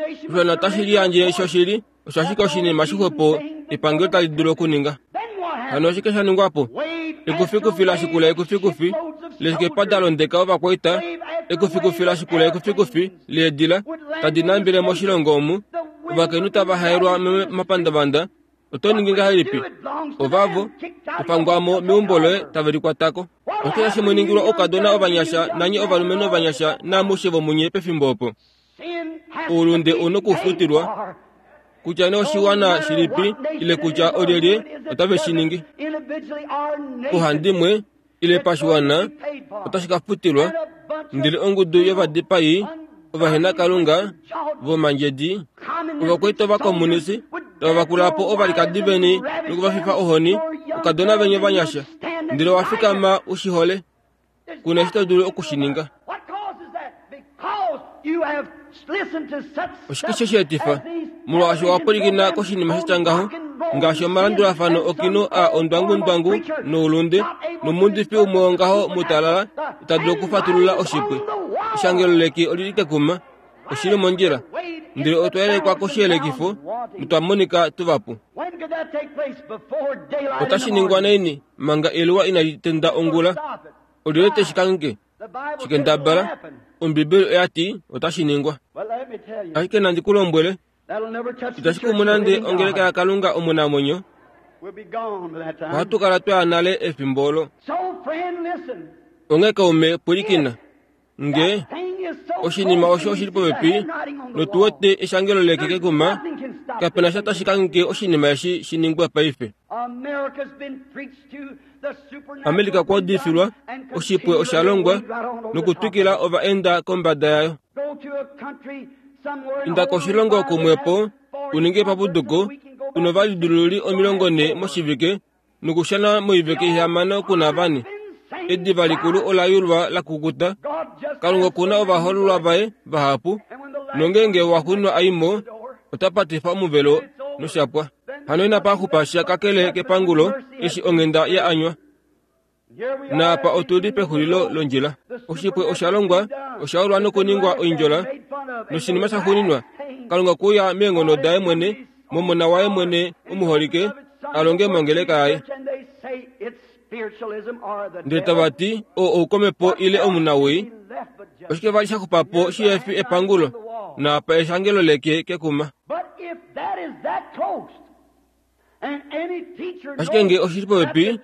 Oshiwana otashi liyandje shoshili, osho ashike oshinima shixwepo epangelo tali dulu okuninga. Hano oshike sha ningwa po? Ekufikufi la shikula ekufikufi leeskepa da londeka ovakwaita, ekufikufi la shikula ekufikufi leedila tadi nambele moshilongo omu, ovakainhu tava haelwa momapandavanda, Oto ningi ngahelipi? Ovavo, topangwa mo meumbo loye tave likwata ko. Oshike tashi mu ningilwa oukadona ovanyasha nanye ovalumenhu ovanyasha naamushe vomunye pefimbo opo? Oulunde u nokufutilwa, kutya nee oshiwana shilipi ile kutya olyelye otave shi ningi. Pauhandimwe ile pashiwana otashi ka futilwa, ndele ongudu yovadipai ovahenakalunga vomandjedi ovakwaita ovakomunisi tava vakula po ovalikadi veni noku va fifa ohoni, oukadona veni ovanyasha, ndele owa fikama u shi hole. Ku na eshi to dulu oku shi ninga. Oshike she shi etifa? Molwaashi owa pwilikina koshinima sha tya ngaho, ngaashi omalandulafano okino a ondwangundwangu noulunde, nomuudifi umwe wongaho mutalala ita dulu okufatulula oshipwe. Eshangelo leki oli li kekuma. Oshi li mondjila. Ndele otwa yelekwa koshiyelekifo notwa monika tuvapu. Otashi ningwa naini manga eluwa inali tenda ongula? Olyelye te shi kangheke? Shikendabala, Ombibeli oya ti otashi ningwa. Ashike nandi ku lombwele, itashi kumu nande ongeleka yaKalunga omunamwenyo. Ohatu kala twa ya nale efimbo olo. Onghee kaume, pwilikina nge. Oshinima osho oshi li popepi notu wete eshangelo leke kekuma. Kape na sha tashi kangheke oshinima eshi shi ningwe paife. Amerika kwa udifilwa, oshipwe osha longwa nokutwikila ova enda kombada yayo. Inda koshilongo kumwepo u ninge epapuduko u novalidilululi 40 moshivike nokushana moivike 6 kuna vane. Ediva likulu ola yulwa la kukuta. Kalunga okuna ovahoololwa vaye vahapu, nongeenge wa xunwa aimo, ota patifa omuvelo noshapwa. Hano inapa xupa sha kakele kepangulo eshi onghenda ya anywa. Naapa otu li pexulilo londjila. Oshipwe osha longwa, osha ulwa nokuningwa oindjola, noshinima sha xuuninwa, Kalunga okwe uya meenghono daye mwene, momona waye mwene omuholike, a longe mongeleka yaye. Ndele tava ti, Oo oukomhepo ile omunawii. Oshike vali sha xupa po shihe fi epangulo? Naapa eshangelo leke kekuma. Ashike nge oshi li popepi,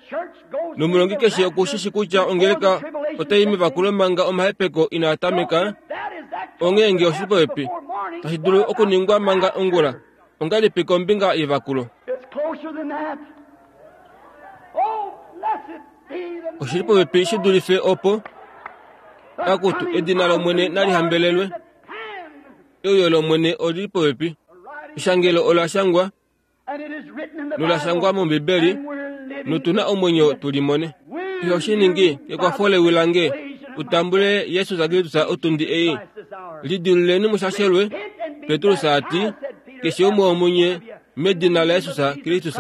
nomulongi keshe oku shi shi kutya ongeleka otai mevakulo manga omahepeko inaa tameka, onghee nge oshi li popepi, tashi dulu okuningwa manga ongula, ongahelipi kombinga yevakulo? Oshi li popepi shi dulife opo. Akutu, edina lOmwene nali hambelelwe. Euyo lOmwene oli li popepi. Eshangelo ola shangwa nola shangwa mOmbibeli, notu na omwenyo tu limone. Iho shi ningi kekwafo lewi lange u tambule Jesus Kristus otundi ei. Lidiluleni mushashelwe, Petrus a ti, keshe umwe womunye medina laJesus Kristus.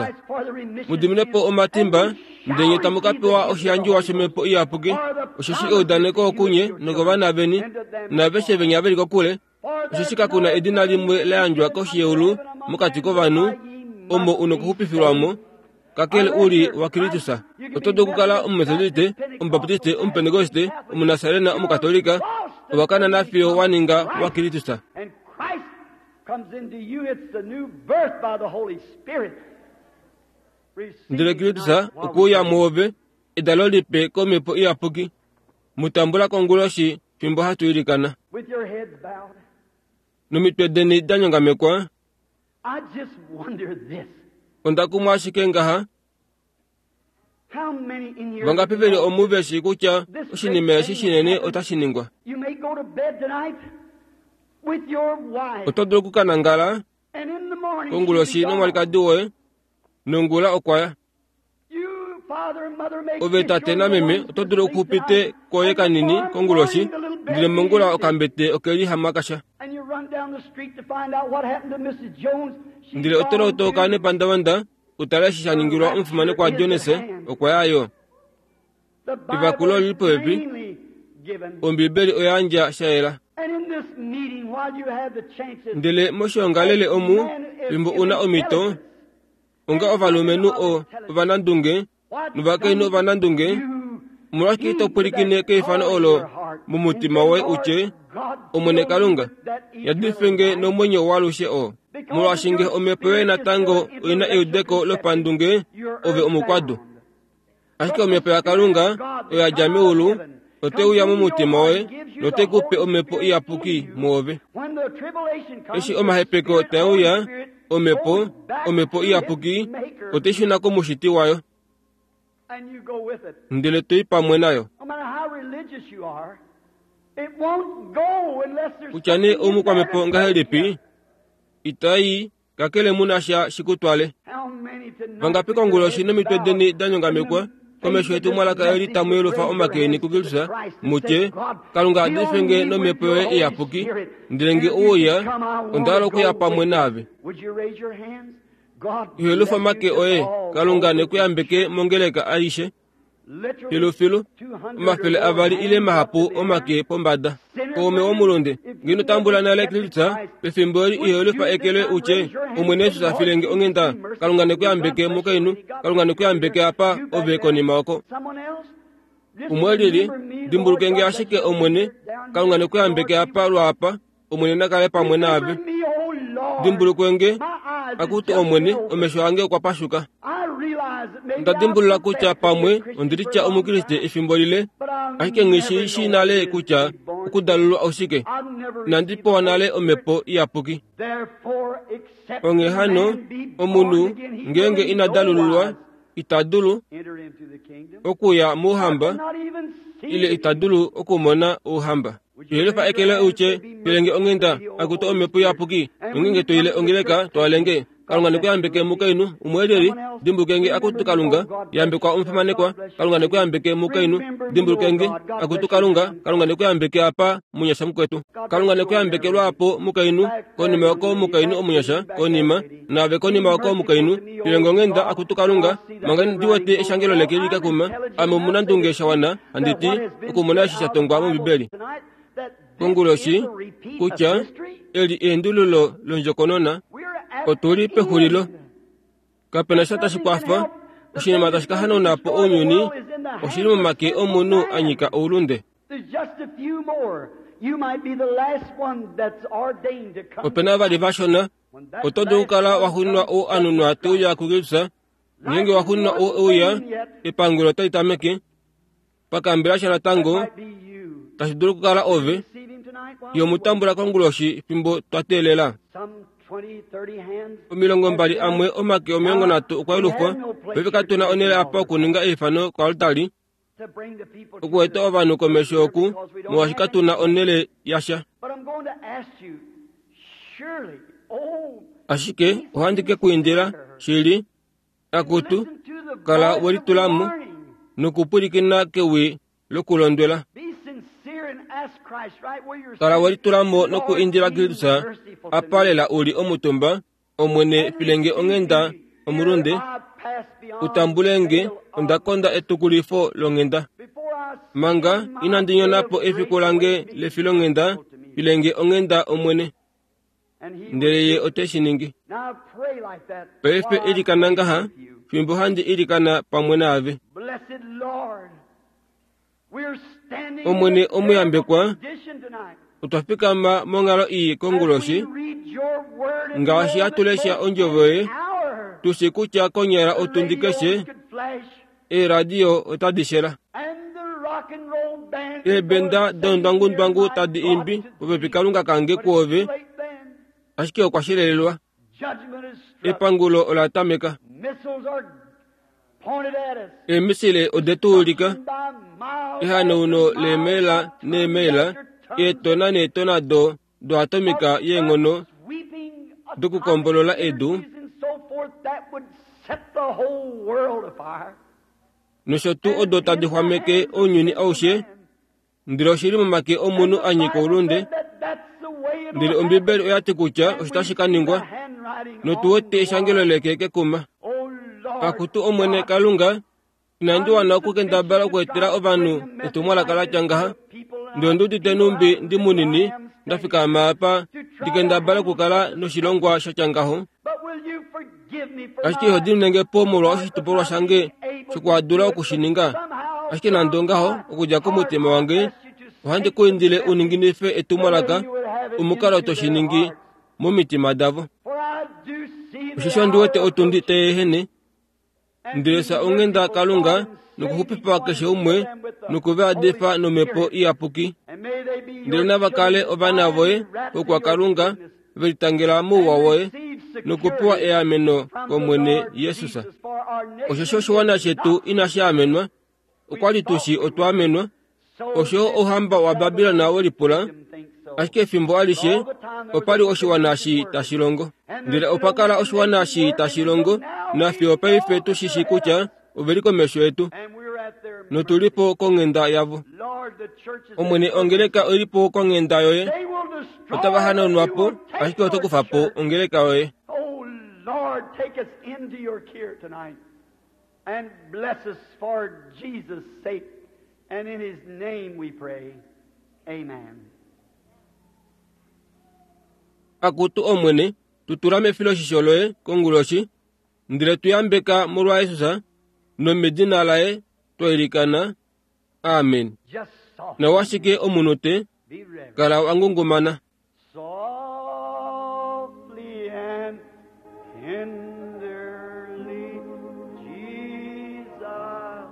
Mu dimine po omatimba, ndele nye tamu ka pewa oshiyandjiwa shOmhepo Iyapuki, osheshi eudaneko okunye nokovana veni, naaveshe venya ve li kokule, osheshi kaku na edina limwe la yandjwa koshi yeulu mokati kovanhu omo u nokuxupifilwa mo, kakele u li waKristus. Oto dulu okukala Omumetodiste, Omubaptiste, Omupentekoste, Omunasarena, Omukatolika, owa kana fiyo wa ninga waKristus. Ndele Kristus okwe uya mwoove, edalo lipe kOmhepo Iyapuki. Mu tambula konguloshi fimbo hatu ilikana. Nomitwe deni da nyongamekwa, onda kumwa ashike ngaha, vangapi ve li omu ve shii kutya oshinima eshi shinene otashi ningwa? Oto dulu oku ka nangala konguloshi nomwalikadi woye, nongula okwa ya. Ove tate nameme oto dulu okuxupite koye kanini konguloshi, ndele mongula okambete oke li hamakasha. Ndele oto lotoka nepandavanda u tale eshi sha ningilwa omufimanekwa Jones, okwa ya yo. Evakulo oli li popepi. Ombibeli oya yandja sha yela. Ndele moshiongalele omu, fimbo u na omhito, onga ovalumenhu o ovanandunge novakainhu ovanandunge, omolwashike ito pwilikine keifano olo momutima woye u tye, Omwene Kalunga, yadife nge nomwenyo waalushe oo. Molwaashi nge omhepo yoye natango oi na eudeko lopandunge, ove omukwadu. Ashike omhepo yaKalunga oyo ya dja meulu ote uya momutima woye note ku pe omhepo iyapuki mwoove. Eshi omahepeko tae uya, omhepo, omhepo iyapuki, ote shuna komushiti wayo. Ndele to i pamwe nayo. Kutya nee oumukwamhepo ngahelipi, itai kakele mu na sha shi ku twale. Vangapi konguloshi nomitwe deni da nyongamekwa komesho yetumwalaka eli tamu yelufa omake eni kuKristus, mu tye, Kalunga adife nge nomhepo yoye iyapuki, ndele nge u uya, onda hala okuya pamwe naave. Ihelufa omake oye, Kalunga ne ku yambeke mongeleka aishe. Filufilu, 200 ile mahapu omake pombada. Kaume womulunde, nge ino tambula nale Kristus, pefimbo eli iho lifa eke loye u tye, Omwene Jesus a file nge onghenda, Kalunga ne ku yambeke mukainhu, Kalunga ne ku yambeke apa, ove konima oko. Umwe lili, dimbuluke nge ashike Omwene, Kalunga ne ku yambeke apa lwaapa, Omwene na kale pamwe naave. Dimbulukwe nge, akutu Omwene, omesho ange okwa pashuka. Onda dimbulula kutya pamwe ondi litya Omukriste efimbo lile, ashike nghi shi shii nale kutya Okudalululwa oshike? Inandi pewa nale Omhepo Iyapuki. Onghee hano, omunhu ngeenge ina dalululwa ita dulu okuya mOuhamba ile ita dulu okumona Ouhamba. Tuhelifa eke loye utye, Pelenge onghenda, akutu Omhepo Iyapuki, nongeenge to ile ongeleka, twalenge. Kalunga ne ku yambeke mukainhu umwe lyeli. Dimbuluke nge, akutu Kalunga, yambekwa omufimanekwa. Kalunga ne ku yambeke mukainhu. Dimbuluke nge, akutu Kalunga. Kalunga ne ku yambeke apa, munyasha mukwetu. Kalunga ne ku yambeke lwaapo, mukainhu. Konima oko, mukainhu omunyasha, konima. Naave konima oko, mukainhu. Filenge onghenda, akutu Kalunga, manga ndi wete eshangelo leke li kekuma. Ame omunandunge sha wana, handi ti, okumona eshi sha tongwa mOmbibeli. Konguloshi, kutya eli eendululo londjokonona, otu li pexulilo. Kape na sha tashi kwafa. Oshinima tashi ka hanauna po ounyuni oshi li momake omunhu a nyika oulunde. Ope na vali vashona. Oto dulu okukala wa xunwa ou a nunwa te uya kuKristus. Ngeenge wa xunwa ou e uya, epangulo otali tameke. Pakambela sha natango tashi dulu okukala ove yo mu tambula konguloshi fimbo twa teelela. 20 amwe omake 30 okwa yelufwa. Paife katu na onhele apa okuninga eifano koaltari okueta ovanhu komesho oku molwaashi katu na onhele yasha. Ashike ohandi ke ku indila shili Akutu, kala we litula mo nokupwilikina kewi lokulondwela. Kala we litula mo nokuindila Kristus apa lela u li omutumba, Omwene, file nge onghenda, omulunde, u tambule nge, onda konda etukulifo longhenda. Manga inandi nyona po efiku lange lefilonghenda, file nge onghenda, Omwene. Ndele Ye ote shi ningi. Paife ilikana ngaha, fimbo handi ilikana pamwe naave. Omwene omuyambekwa, otwa fikama monghalo ii konguloshi, ngaashi hatu lesha Ondjovo Yoye, tu shi kutya konyala otundi keshe eeradio otadi shela. Eebenda doundwangundwangu tadi imbi popepi Kalunga kange kuove, ashike okwa shelelelwa. Epangulo ola tameka. Eemisile ode tu ulika ehanauno leemaila neemaila, eetona neetona do doatomika yeenghono dokukombolola edu, nosho tuu odo tadi xwameke ounyuni aushe, ndele oshi li momake omunhu a nyika oulunde. Ndele Ombibeli oya ti kutya osho tashi ka ningwa, notu wete eshangelo leke kekuma. Akutu Omwene Kalunga, Inandi wana okukendabala okweetela ovanhu etumwalaka la tya ngaha. Ndele ondi udite nhumbi ndi munini nda fikama apa ndi kendabale okukala noshilongwa sha tya ngaho. Ashike iho diminenge po molwa oshitopolwa shange shokuhadula oku shi ninga. Ashike nande ongaho, okudja komutima wange, ohandi ku indile u ninginife etumwalaka omukalo to shi ningi momitima davo. Osheshi ondi wete otundi tai ehene. Ndele fya onghenda Kalunga nokuxupifa keshe umwe noku va yadifa nOmhepo Iyapuki. Ndele nava kale ovana voye vokwaKalunga, ve litangela mouwa woye nokupewa eameno kOmwene Jesus. Osheshi oshiwana shetu inashi amenwa, okwa li tu shi otwa amenwa, osho ouhamba waBabilon we lipula, ashike efimbo alishe opa li oshiwana shi tashi longo. Ndele opa kala oshiwana shi tashi longo, nafiyo paife tu shi shii kutya ove li komesho yetu, notu li po konghenda yavo. Omwene, ongeleka oi li po konghenda yoye. Otava hanaunwa po, ashike oto kufa po ongeleka yoye. And bless us for Jesus' sake. And in his name we pray. Amen. Akutu Omwene, tu tula mefiloshisho loye konguloshi, ndele tu yambeka molwa Jesus, nomedina laye twa ilikana. Amen. Nawa ashike omunhu te kala wa ngungumana. Softly and tenderly, Jesus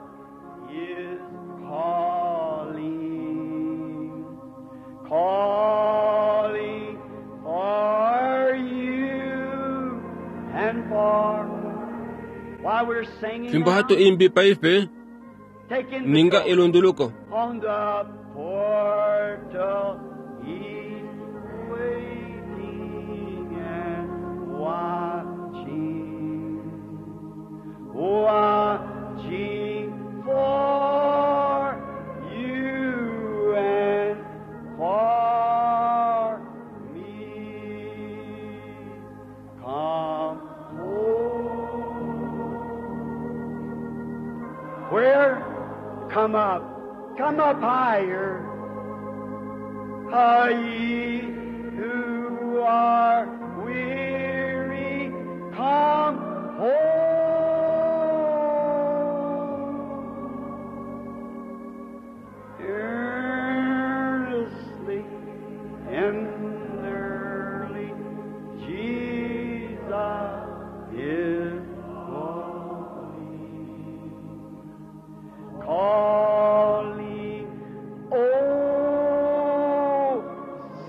is calling. And for while we're singing Fimbo now, hatu imbi paife take ninga inventory. elunduluko. On the portal he's waiting and watching, watching for you and for me. Come home. Where? Come up. Come up higher. Ah, ye who are weary, come home. Earnestly, tenderly, Jesus is calling. Calling, oh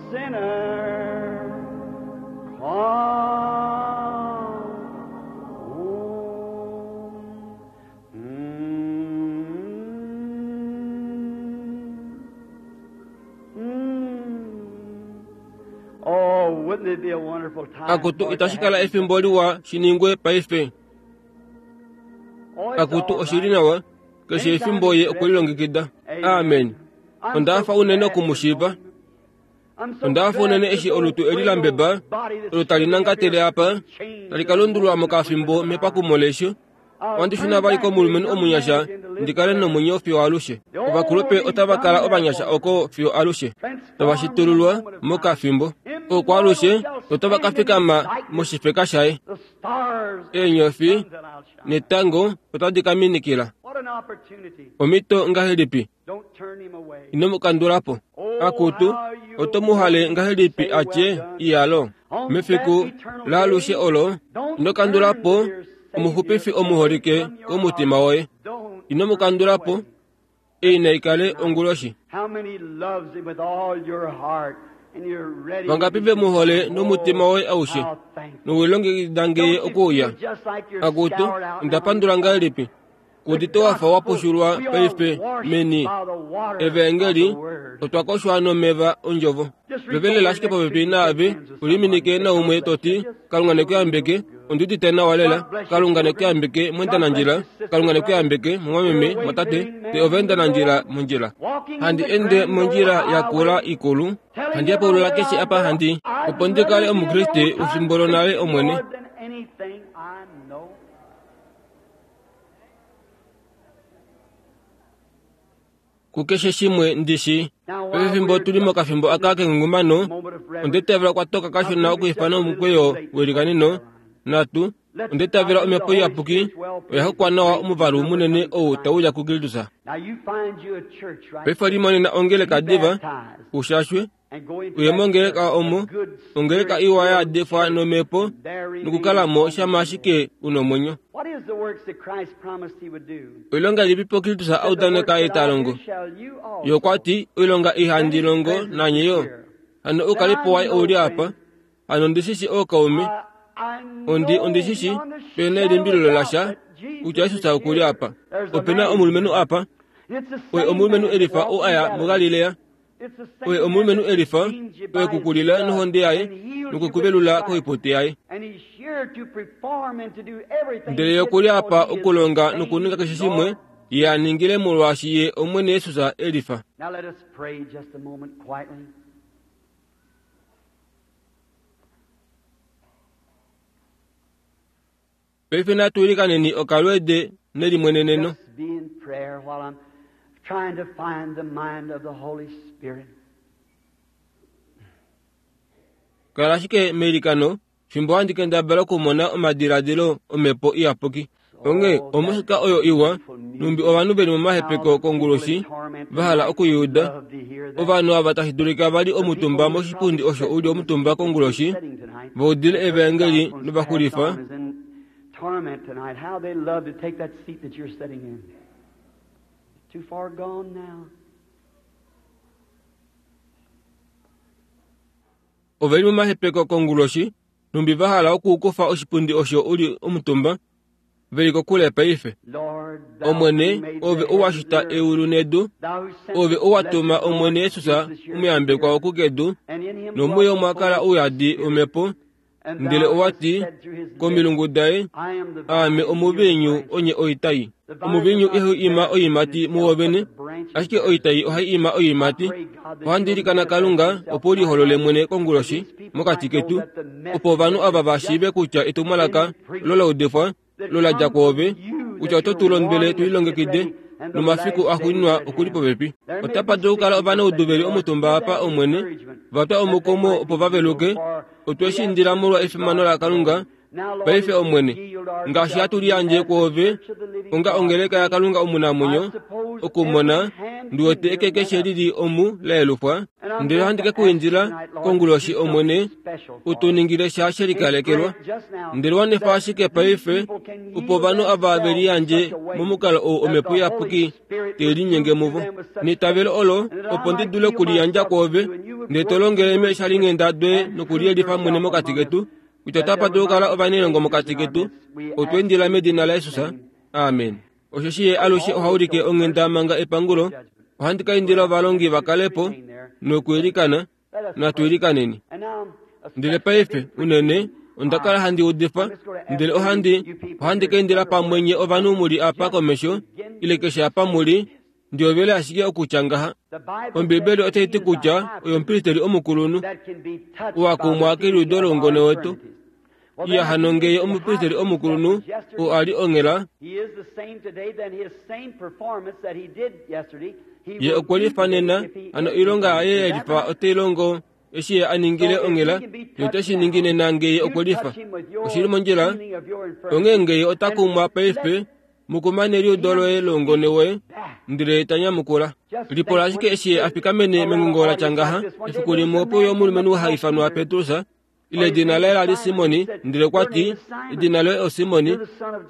sinner, come home. Oh, wouldn't it be a wonderful time? Akutu for it to itashi kala happen? efimbo liwa shiningwe paife. Oh, it's Akutu all oshili right. nawa keshe efimbo ye okwelilongekida. Amen. Onda fa unene okumushiiva. Onda fa unene eshi olutu eli la mbeba olo tali nangatele apa tali ka lundululwa mokafimbo mepakumo lesho. Ohandi shuna vali komulumenhu omunyasha ndi kale nomwenyo fiyo alushe. Ovakulupe otava kala ovanyasha oko fiyo alushe. Tava shitululwa mokafimbo. Oko alushe otava ka fikama moshifeka shaye. The stars Eenyofi that I'll shine. netango otadi ka minikila. What an opportunity. Omhito ngahelipi? Don't turn him away. Ino mu kandula po. Akutu, oto mu hale ngahelipi atye iyalo. Mefiku laalushe olo, ino kandula po omuxupifi omuholike komutima woye. Don't Ino mu kandula po, ei naikale onguloshi. How many loves him with all your heart and you're ready? Vangapi ve mu hole nomutima woye aushe, How thankful. nowilongekida ngeye Don't you okuuya. feel just like you're Akutu, scoured out onda now? pandula ngahelipi? Kudite wafa wa pushulwa paife meni evangeli otwa koshwa nomeva ondjovo. Vevelela ashike popepi naave uliminike naumwe toti Kalunga nekuyambeke ondiudite nawa lela Kalunga nekuyambeke mwendanandjila Kalunga nekuyambeke mumwameme mwatate te ovendanandjila mondjila. Handi ende mondjila yakula ikulu handi yapulula keshe apa handi opo ndi kale omukriste efimbo lonale omwene. More than anything I know. Kukeshe shimwe ndishi pefimbo tuli mokafimbo aka kengungumano Moment of reverence. ondetavela kwatoka kashona okuifana omukweyo welikanino natu ondetavela omhepo iyapuki oya hokwa nawa omuvalu munene ou tauya kukilitusa. Now you find you a church right Paife limonena ongeleka diva baptized ushashwe and go into uye that mongeleka church, omo a good ongeleka spirit iwa yaadefwa nomhepo there remains nokukalamo shama ashike una omwenyo. What is the works that Christ promised he would do? Oilonga ilipipo Kilitusa audaneka The works that I etalongo. do shall you also. Yo kwati oilonga ihandi longo nanyeyo. Hano ukalipo waye ouli apa. Hano ndishishi ookaume. I know Ondi ondishishi beyond a pena shadow of elimbililo doubt lasha that Jesus kutya is Jesus okuli here. apa. There's a Opena man omulumenhu apa. It's the Oye same omulumenhu man that elifa walked o in aya Galilee. muGalilea. It's the same Oye man omulumenhu that elifa redeemed you by oye his kukulila blood nohonde yaye and healed you with nokukuvelula his koipote yaye. And he's here to perform and to do everything Ndele he ye did okuli apa because he is okulonga the nokuninga keshe same shimwe Lord. ye aningile molwaashi ye Omwene Yesus elifa. Now let us pray just a moment quietly. Paife natuilikaneni okalweede nelimweneneno. Just be in prayer while I'm trying to find the mind of the Holy Spirit. Kala ashike meilikano fimbo handi kendabala okumona omadiladilo omhepo iyapuki. Onghee omusika oyo iwa numbi ovanhu veli momahepeko konguloshi vahala okuyuuda. Ovanhu ava tashi dulika vali omutumba moshipundi osho uli omutumba konguloshi vaudile evangeli novaxulifa Torment tonight. How they love to take that seat that you're sitting in. Too far gone now. Oveli momahepeko konguloshi Nhumbi va hala okukufa oshipundi osho u li omutumba, ve li kokule paife. Omwene, Ove owa shita eulu nedu, Ove owa tuma Omwene Jesus omuyambekwa oku kedu, nomuye omwa kala ouyadi wOmhepo, ndele owa ti komilungu daye, Aame omuviinyu, onye oitai. Omuviinyu ihau ima oiimati muwo vene, ashike oitai ohai ima oiimati. Ohandi ilikana Kalunga opo u liholole mwene konguloshi mokati ketu, opo ovanhu ava va shiive kutya etumwalaka olo la udifwa lo la dja kwoove, kutya oto tu londwele tu lilongekide, nomafiku axuuninwa oku li popepi. Otapa dulu okukala ovanaudu ve li omutumba apa, Omwene, va twa omukumo opo va veluke. Otwe shi indila molwa efimano laKalunga. Paife, Omwene, ngaashi hatu liyandje kwoove onga ongeleka yaKalunga omunamwenyo, okumona, ndi wete eke keshe li li omu la yelufwa, ndele ohandi ke ku indila konguloshi, Omwene, u tu ningile sha she likalekelwa. Ndele wanifa ashike paife, opo ovanhu ava ve liyandje momukalo ou Omhepo Iyapuki te linyenge muvo. Neitavelo olo, opo ndi dule okuliyandja kwoove, ndele to longele meeshalinghenda doye nokuliyelifa mwene mokati ketu, kutya otapa dulu okukala ovanailongo mokati ketu. Otwa indila medina laJesus. Amen. Osheshi Ye alushe oha ulike onghenda manga epangulo. Ohandi ka indila ovalongi va kale po nokwiilikana. Natu ilikaneni. Ndele paife, unene, onda kala handi udifa, ndele ohandi, ohandi ka indila pamwe nye ovanhu mu li apa komesho, ile keshe apa mu li, ndi hovele ashike okutya ngaha. Ombibeli otai ti kutya oye omupristeli omukulunhu, oo a kumwa keliudo loungone wetu. Iya hano ngee omupristeli omukulunhu oo a li onghela, ye okwe lifa nena, hano oilonga yaye ye lifa otai longo eshi ye a ningile onghela, ye ote shi ningi nena ngee ye okwe lifa. Oshi li mondjila? Onghee ngee ye ota kumwa paife, mu kuma neliudo loye loungone woye, ndele ye ta nyamukula. Lipula ashike eshi ye a fikamene mengungo la tya ngaha, efiku limwe ope uya omulumenhu ha ifanwa Petrus, ile edina laye la li Simoni, ndele okwa ti, Edina loye oSimoni,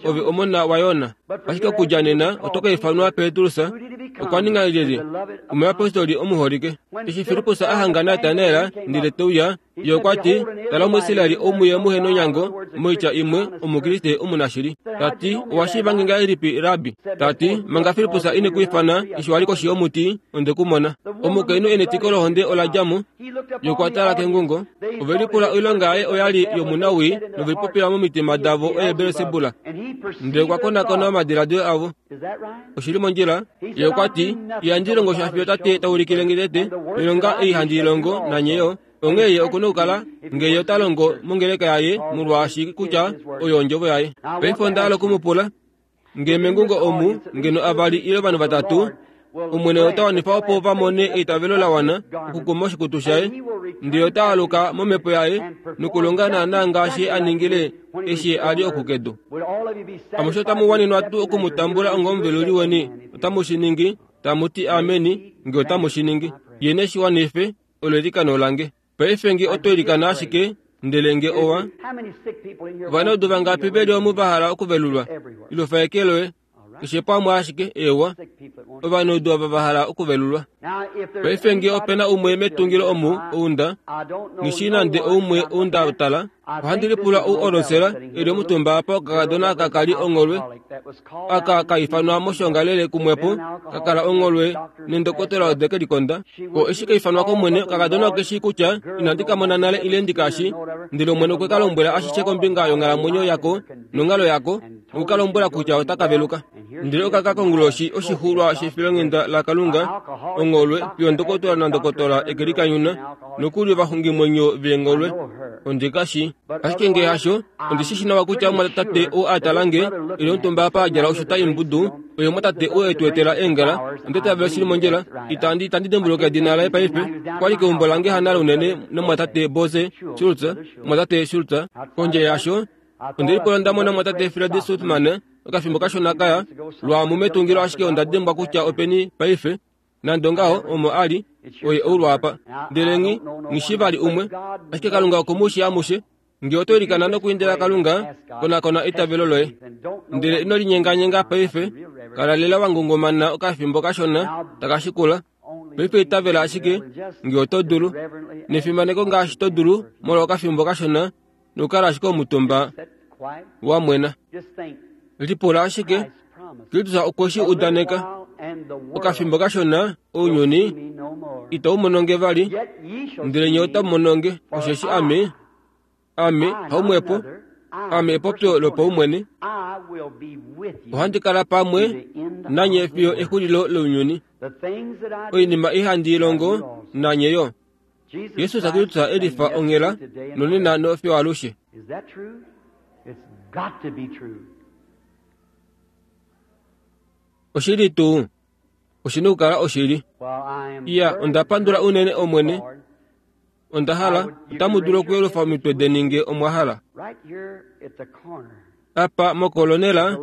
ove omona waYona. Ashike okudja nena oto ka ifanwa Petrus. Okwa ninga lyelye? Omuyapostoli omuholike. Eshi Filippus a hanga Natanael ndele te uya, ye okwa ti, Tala Omuisraeli ou muye muhe nonyango, moitya imwe, Omukriste omunashili. Ta ti, Owa shiiva nge ngahelipi, Rabbi? Ta ti, Manga Filippus ine ku ifana, eshi wa li koshi yomuti, onde ku mona. Omukainhu e netiko lohonde ola dja mo. Ye okwa tala kengungo. Ove lipula oilonga yaye oya li yomunawii nove lipopila momitima davo oye Belsebula. Ndele okwa konakona omadiladilo avo. Oshi li mondjila? Ye okwa ti, Ihandi longo sha fiyo Tate ta ulikile nge tete, noilonga ei handi i longo, nanye yo. Onghee ye oku na okukala, nge ye ota longo mongeleka yaye, molwaashi kutya oyo ondjovo yaye. Paife onda hala oku mu pula. Nge mengungo omu ngeno avali ile ovanhu vatatu, Omwene ota wanifa opo va mone eitavelo la wana okukuma oshikutu shaye, ndele ota aluka momhepo yaye nokulonga naanaa ngaashi a ningile eshi a li oku kedu. Amushe otamu wanenwa tuu oku mu tambula ongomuveluli weni? Otamu shi ningi? Tamu ti ameni, nge otamu shi ningi. Ye ne shi wanife, olo eilikano lange. Paife nge oto ilikana ashike, ndele nge owa. Ovanaudu vangapi ve li omu va hala okuvelulwa? Ilufa eke loye. Keshe pamwe ashike, eewa. Ovanaudu ava va hala okuvelulwa. Paife nge ope na umwe metungilo omu, ou nda, nghi shii nande oumwe ou nda tala, ohandi lipula ou olosela e li omutumba apa okakadona aka ka li ongholwe, aka ka ifanwa moshiongalele kumwepo, ka kala ongholwe nendokotola ode ke likonda. Ko eshi ka ifanwa kOmwene, okakadona oke shii kutya inandi ka mona nale ile ndi ka shi, ndele Omwene okwe ka lombwela ashishe kombinga yonghalamwenyo yako nonghalo yako, noku ka lombwela kutya otaka veluka. Ndele oka ka konguloshi oshixuulwa shefilonghenda laKalunga, ongholwe, fiyo ndokotola nandokotola e ke likanyuna, nokuli ovaxungimwenyo veengholwe. Ondi ka shi. Ashike nge hasho, ondi shi shi nawa kutya omumwatate oo a tala nge, e li omutumba apa a djala oshuta imbudu, oye omumwatate oo e tu etela eengala. Onda itavela shi li mondjila. Itandi, itandi dimbuluka edina laye paife. Okwa li keumbo lange hanale unene nomumwatate Boze Schultz, omumwatate Schultz. Kondje yasho, onde lipula nda mona omumwatate Fred Sothmann okafimbo kashona kaya lwaamu metungilo ashike onda dimbwa kutya openi paife. Nande ongaho, omo a li, oye ou lwaapa. Ndele nghi, nghi shii vali umwe, ashike Kalunga oku mu shii amushe. Nge oto ilikana nokuindila Kalunga, konakona eitavelo loye. Ndele ino linyenganyenga paife, kala lela wa ngungumana okafimbo kashona taka shikula. Paife itavela ashike, nge oto dulu, nefimaneko ngaashi to dulu, molwa okafimbo kashona. Nokukala ashike omutumba wa mwena. Lipula ashike, Kristus okwe shi udaneka. Okafimbo kashona, ounyuni itau mono nge vali, ndele nye otamu mono nge, osheshi Ame, Ame, haumwepo, Ame epopyo lopaumwene, ohandi kala pamwe nanye fiyo exulilo lounyuni. Oinima ei handi i longo, nanye yo. Jesus Kristus e lifa onghela nonena nofiyo alushe. Oshili tuu? Oshi na okukala oshili. Iya, onda pandula unene Omwene. Onda hala, otamu dulu okuyelufa omitwe deni nge omwa hala. Apa mokolonela,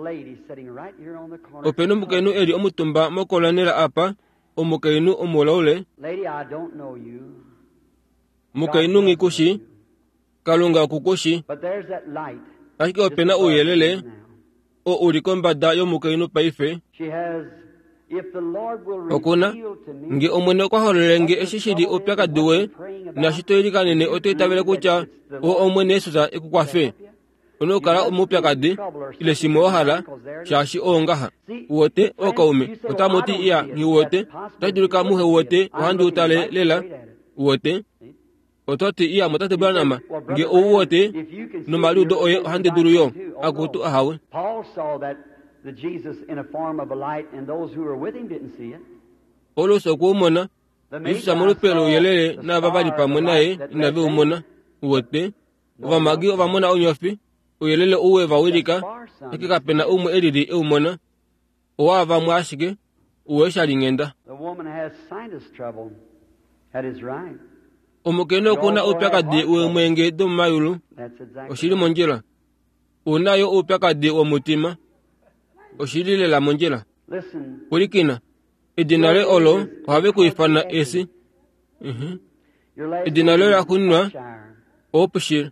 ope nomukainhu e li omutumba mokolonela apa, omukainhu omulaule, mukainhu nghi ku shi, Kalunga oku ku shi. Ashike ope na ouyelele oo u li kombada yomukainhu paife. Oku na, nge Omwene okwa hololele nge eshi shi li oupyakadi woye, naashi to ilikanene oto itavele kutya o Omwene Jesus e ku kwafe. One okukala omoupyakadi ile shimwe wa hala, shaashi oo ngaha. Uwete, ookaume, otamu ti, Iya, nghi uwete. Otashi dulika muhe uwete, ohandi u tale lela. Uwete? Oto ti, Iya, mutate Branham, nge ou uwete nomaliudo oye ohandi dulu yo. Akutu, ahawe. Paulus okwe u mona. Jesus molupe louyelele naava va li pamwe naye inave u mona. Uwete? Ovamagi ova mona onyofi, ouyelele ou we va wilika, ashike kape na umwe e lili e u mona. Owa vamwe ashike, u eshalinghenda. Omukainhu oku na oupyakadi weemwenge domomayulu. Oshi li mondjila. U na yo oupyakadi womutima. Oshi li lela mondjila. Pwilikina. Edina loye olo ohave ku ifana esi. Uh-huh. Edina loye la xuuninwa oOpshir.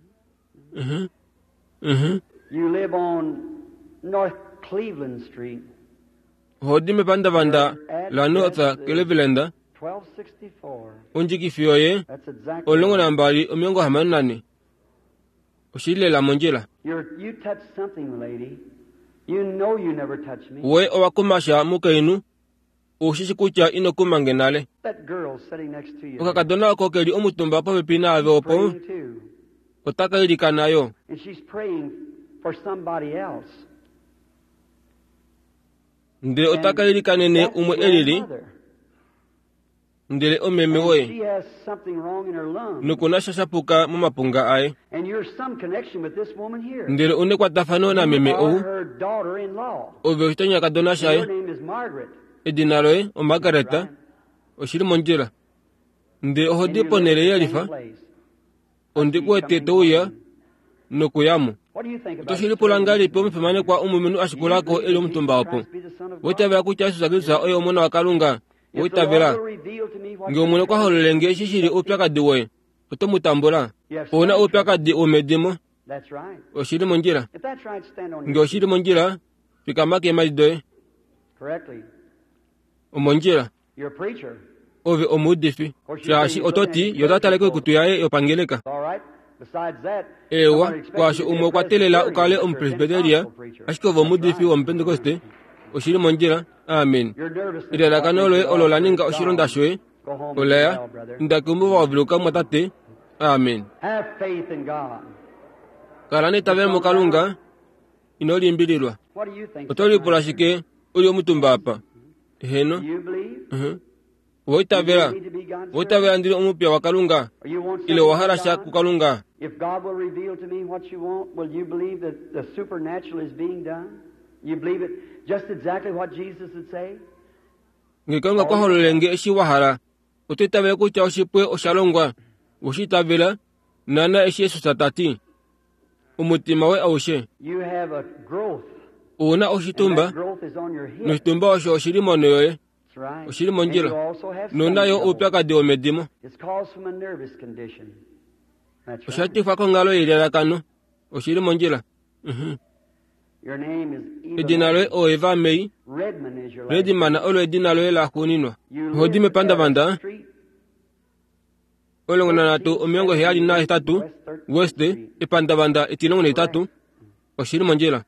Uh-huh. Uh-huh. You live on North Cleveland Street. Oho di mepandavanda laNorth Cleveland. 1264. Ondjikifi yoye That's exactly 12 64. Oshi li lela mondjila. You're, you touched something, lady. You know you never touched me. We owa kuma sha mukainhu. U shi shi kutya ino kuma nge nale. That girl sitting next to you. Okakadona oko ke li omutumba popepi naave opo, Praying too. otaka ilikana yo. And she's praying for somebody else. Ndele otaka ilikanene That's umwe your e lili, mother. ndele omeme And woye. she has something wrong in her lungs. Noku na sha sha puka momapunga aye. And you're some connection with this woman here. Ndele u nekwatafano You nameme are ou, her daughter-in-law. ove oshitonyakadona Your shaye. name is Margaret. Edina loye oMargaret, oshi li mondjila. Ndele oho And di you live ponhele in the ye same lifa, place. ondi ku wete to uya nokuya mo. What do you think about Oto shi it, lipula sir? ngahelipi omufimanekwa omulumenhu a shikula ko e li omutumba opo? Owa itavela kutya Jesus Kristus oye Omona waKalunga? Owa If the Lord itavela? will reveal to me what Nge Omwene okwa hololele nge eshi shi li oupyakadi woye, oto mu tambula? Ou na oupyakadi womedimo. That's right. Oshi li mondjila. If that's right, stand on Nge your oshi li mondjila, fikama keemhadi doye. correctly. Omondjila. You're a preacher. Ove omuudifi. Shaashi oto ti, ye ota tale koikutu yaye yopangeleka. All right. Besides that, Eewa, somebody expects kwaasho you to be umwe a okwa teelela u kale Presbyterian, but you're a omupresbyteria, Pentecostal preacher. ashike ove That's omuudifi right. womupentekoste. Oshi li mondjila. Amen. Your nervousness Elalakano is loye what olo makes la it ninga all oshilonda gone. shoye. Go home and be Olaya, well, brother. inda keumbo wa veluka mwatate. Amen. Have faith in God. Kala neitavelo muKalunga, ino limbililwa. What do you think? Oto lipula shike u li omutumba apa? Eheno. Do you believe? Uh-huh. Owa itavela? You need to be God's Owa itavela ndi li omupiya waKalunga? Or you want Ile something owa hala from sha God? kuKalunga? If God will reveal to me what you want, will you believe that the supernatural is being done? You believe it just exactly what Jesus would say? Nge Kalunga okwa hololele nge eshi wa hala, oto itavele kutya oshipwe osha longwa? We shi itavela, naana eshi Jesus ta ti? Omutima woye aushe. You have a growth, Ou na and oshitumba, that growth is on your hip. noshitumba osho oshi li monho yoye. That's right. Oshi li And mondjila. you also have Nou na stomach yo trouble. oupyakadi womedimo. It's caused from a nervous condition. That's Osha right. tifwa konghalo yelalakano. Oshi li mondjila. Uh-huh. Your name is Eva Edina loye May. oEva May. Redman is your last Redman name. olo edina loye la xuuninwa. You Oho di live at mepandavanda. a street. 1378 West epandavanda 13 oshili mondjila.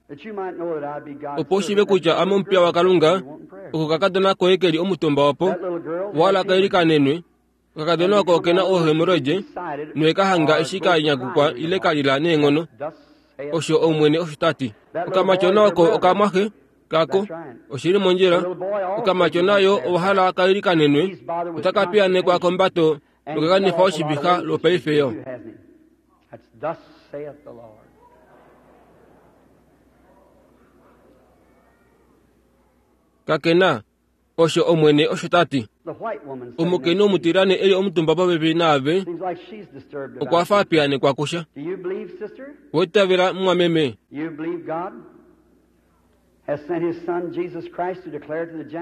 Opo u shiive kutya ame omupiya waKalunga, okokakadona koye ke li omutumba opo, wa ka ilikanenwe. Okakadona oko oke na oohemoroide noe ka hanga eshi ka nyakukwa ile ka lila neenghono. Osho Omwene osho ta ti. Okamatyona oko okamwaxe kako. Oshili mondjila. Okamatyona yo owa hala ka ilikanenwe, otaka piyaanekwa kombato noka kanifa oshivixa lwopaife yo. Kake na Osho Omwene osho ta ti. Omukainhu omutilyane e li omutumba popepi naave okwa fa a piyaanekwa kusha. Owa itavela mumwameme?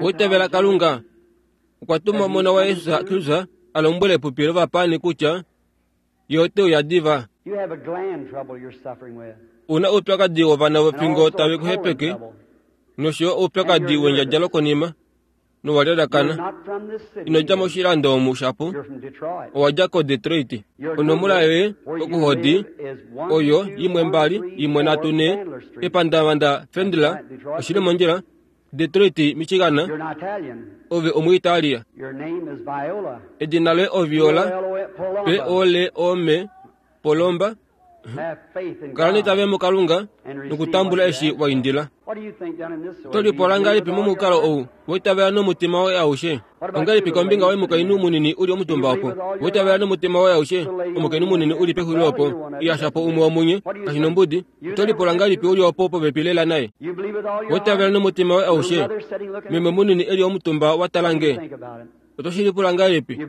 Owa itavela Kalunga okwa tuma Omona waye Jesus Kristus a lombwele epupi lovapaani kutya Ye ote uya diva? U na oupyakadi wovana vofingo tave ku hepeke, nosho yo oupyakadi wendjadja lokonima, nowa lyalakana. Ino dja moshilando omu shapu, owa dja koDetroit. Onomola yoye okuhodi oyo 123 14, epandavanda Fendler, oshi li mondjila, Detroit, Michigan. Ove Omuitalia. Edina loye oViola, P-O-L-O-M, Polomba. Kala neitavelo muKalunga nokutambula eshi wa indila. Oto lipula ngahelipi momukalo ou wa itavela nomutima woye aushe? Ongahelipi kombinga woye mukainhu munini u li omutumba opo? Wa itavela nomutima woye aushe? Omukainhu munini u li pexulilo opo, yasha po umwe womunye, kashi nombudi. Oto lipula ngahelipi u li opo popepi lela naye? Wa itavela nomutima woye aushe? Meme munini e li omutumba wa tala nge. Oto shi lipula ngahelipi?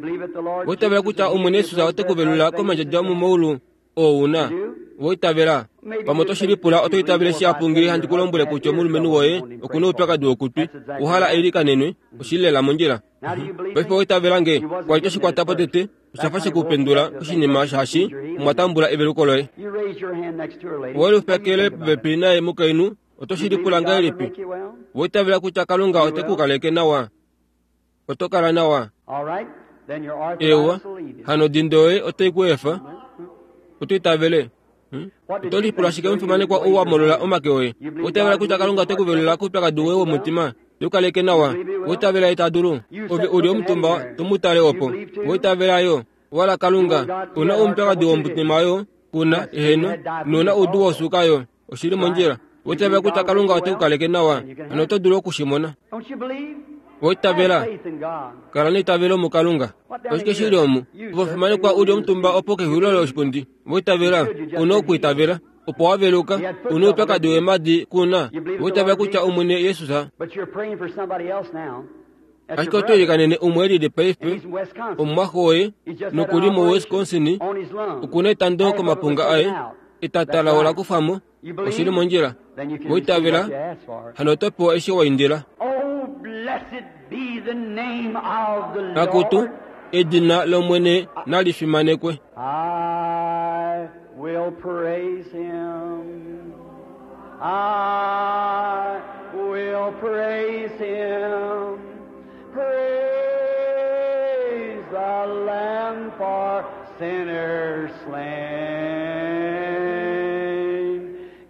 Wa itavela kutya Omwene Jesus ote ku velula komandjadja omomaulu oo u na? Wa itavela? Pamwe oto shi lipula oto itavele shihapu ngee handi ku lombwele kutya omulumenhu woye oku na oupyakadi wokutwi, owa hala eilikanenwe, oshi li lela mondjila. Paife owa itavela nge? Kwa li to shi kwata po tete, osha fa she ku pendula oshinima shaashi omwa tambula eveluko loye. Owe lifekele popepi naye mukainhu, oto shi lipula ngahelipi? Owa itavela kutya Kalunga ote ku kaleke nawa? Oto kala nawa? Eewa, hano odindo yoye otai ku efa. Oto itavele? Hmm? Oto lipula shike omufimanekwa ou wa molola omake oye? Owa itavela kutya Kalunga ote ku velula koupyakadi woye womutima? Te ku kaleke nawa? Owa itavela ye ta dulu? Ove u li omutumba to mu tale opo. Owa itavela yo? Wala Kalunga, u na oupyakadi womutima yo, ku na, eheno, nou na oudu wosuuka yo. Oshi li mondjila. Owa itavela kutya Kalunga ote ku kaleke nawa? Hano oto dulu oku shi mona. Owa itavela? Kala neitavelo muKalunga. Oshike shi li omu? Ove omufimanekwa u li omutumba opo kexulilo loshipundi. Owa itavela? U na okuitavela. Opo wa veluka. U na oupyakadi weemhadi, ku na? Owa itavela kutya Omwene Jesus. Ashike oto ilikanene umwe e lili paife, omumwaxo woye, noku li muWisconsin, oku na etando komapunga aye, etata lao la kufwa mo. Oshi li mondjila. Wa itavela, hano oto pewa eshi wa indila. Akutu, edina lOmwene nali fimanekwe. I will praise him. I will praise him. Praise the Lamb for sinners slain.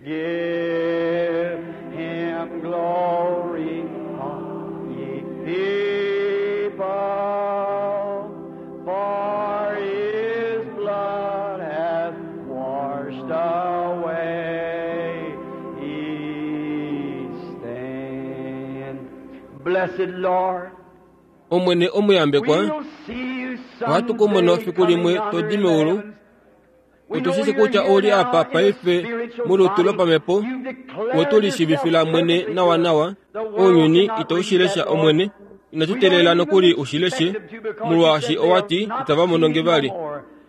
Give him glory, all ye people, for his blood hath washed away each stain. Blessed Lord, Omwene omuyambekwa, we'll see you ohatu ku mono someday fiku limwe coming to yonder di in meulu. heavens. Otu shi shi kutya ou li apa paife molutu lopamhepo, otu lishivifila mwene nawanawa. Ounyuni itau shi lesha Omwene. Inatu teelela nokuli u shi leshe, molwaashi owa ti itava mono nge vali.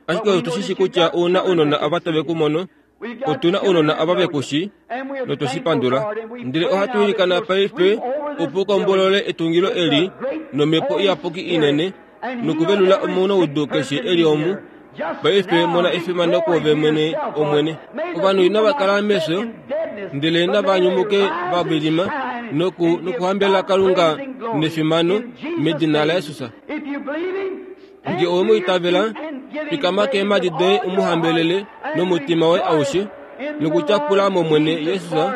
Ashike otu shi shi kutya ou na ounona ava tave ku mono. Otu na ounona ava ve ku shi, notwe shi pandula. Ndele ohatu ilikana paife opo u kombolole etungilo eli nomhepo iyapuki inene, nokuvelula omunaudu keshe e li omu. Paife mona efimano kwoove mwene, Omwene. Ovanhu inava kala mefyo, ndele nava nyumuke va vilima noku, nokuhambelela Kalunga nefimano medina laJesus. Nge owe mu itavela, Fikama keemhadi doye u mu hambelele nomutima woye aushe, nokutyapula mOmwene Jesus,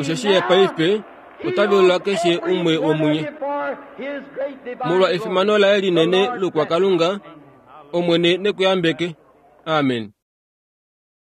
osheshi ye paife ota velula keshe umwe womunye. Molwa efimano laye linene lokwakalunga, Omwene ne ku yambeke. Amen.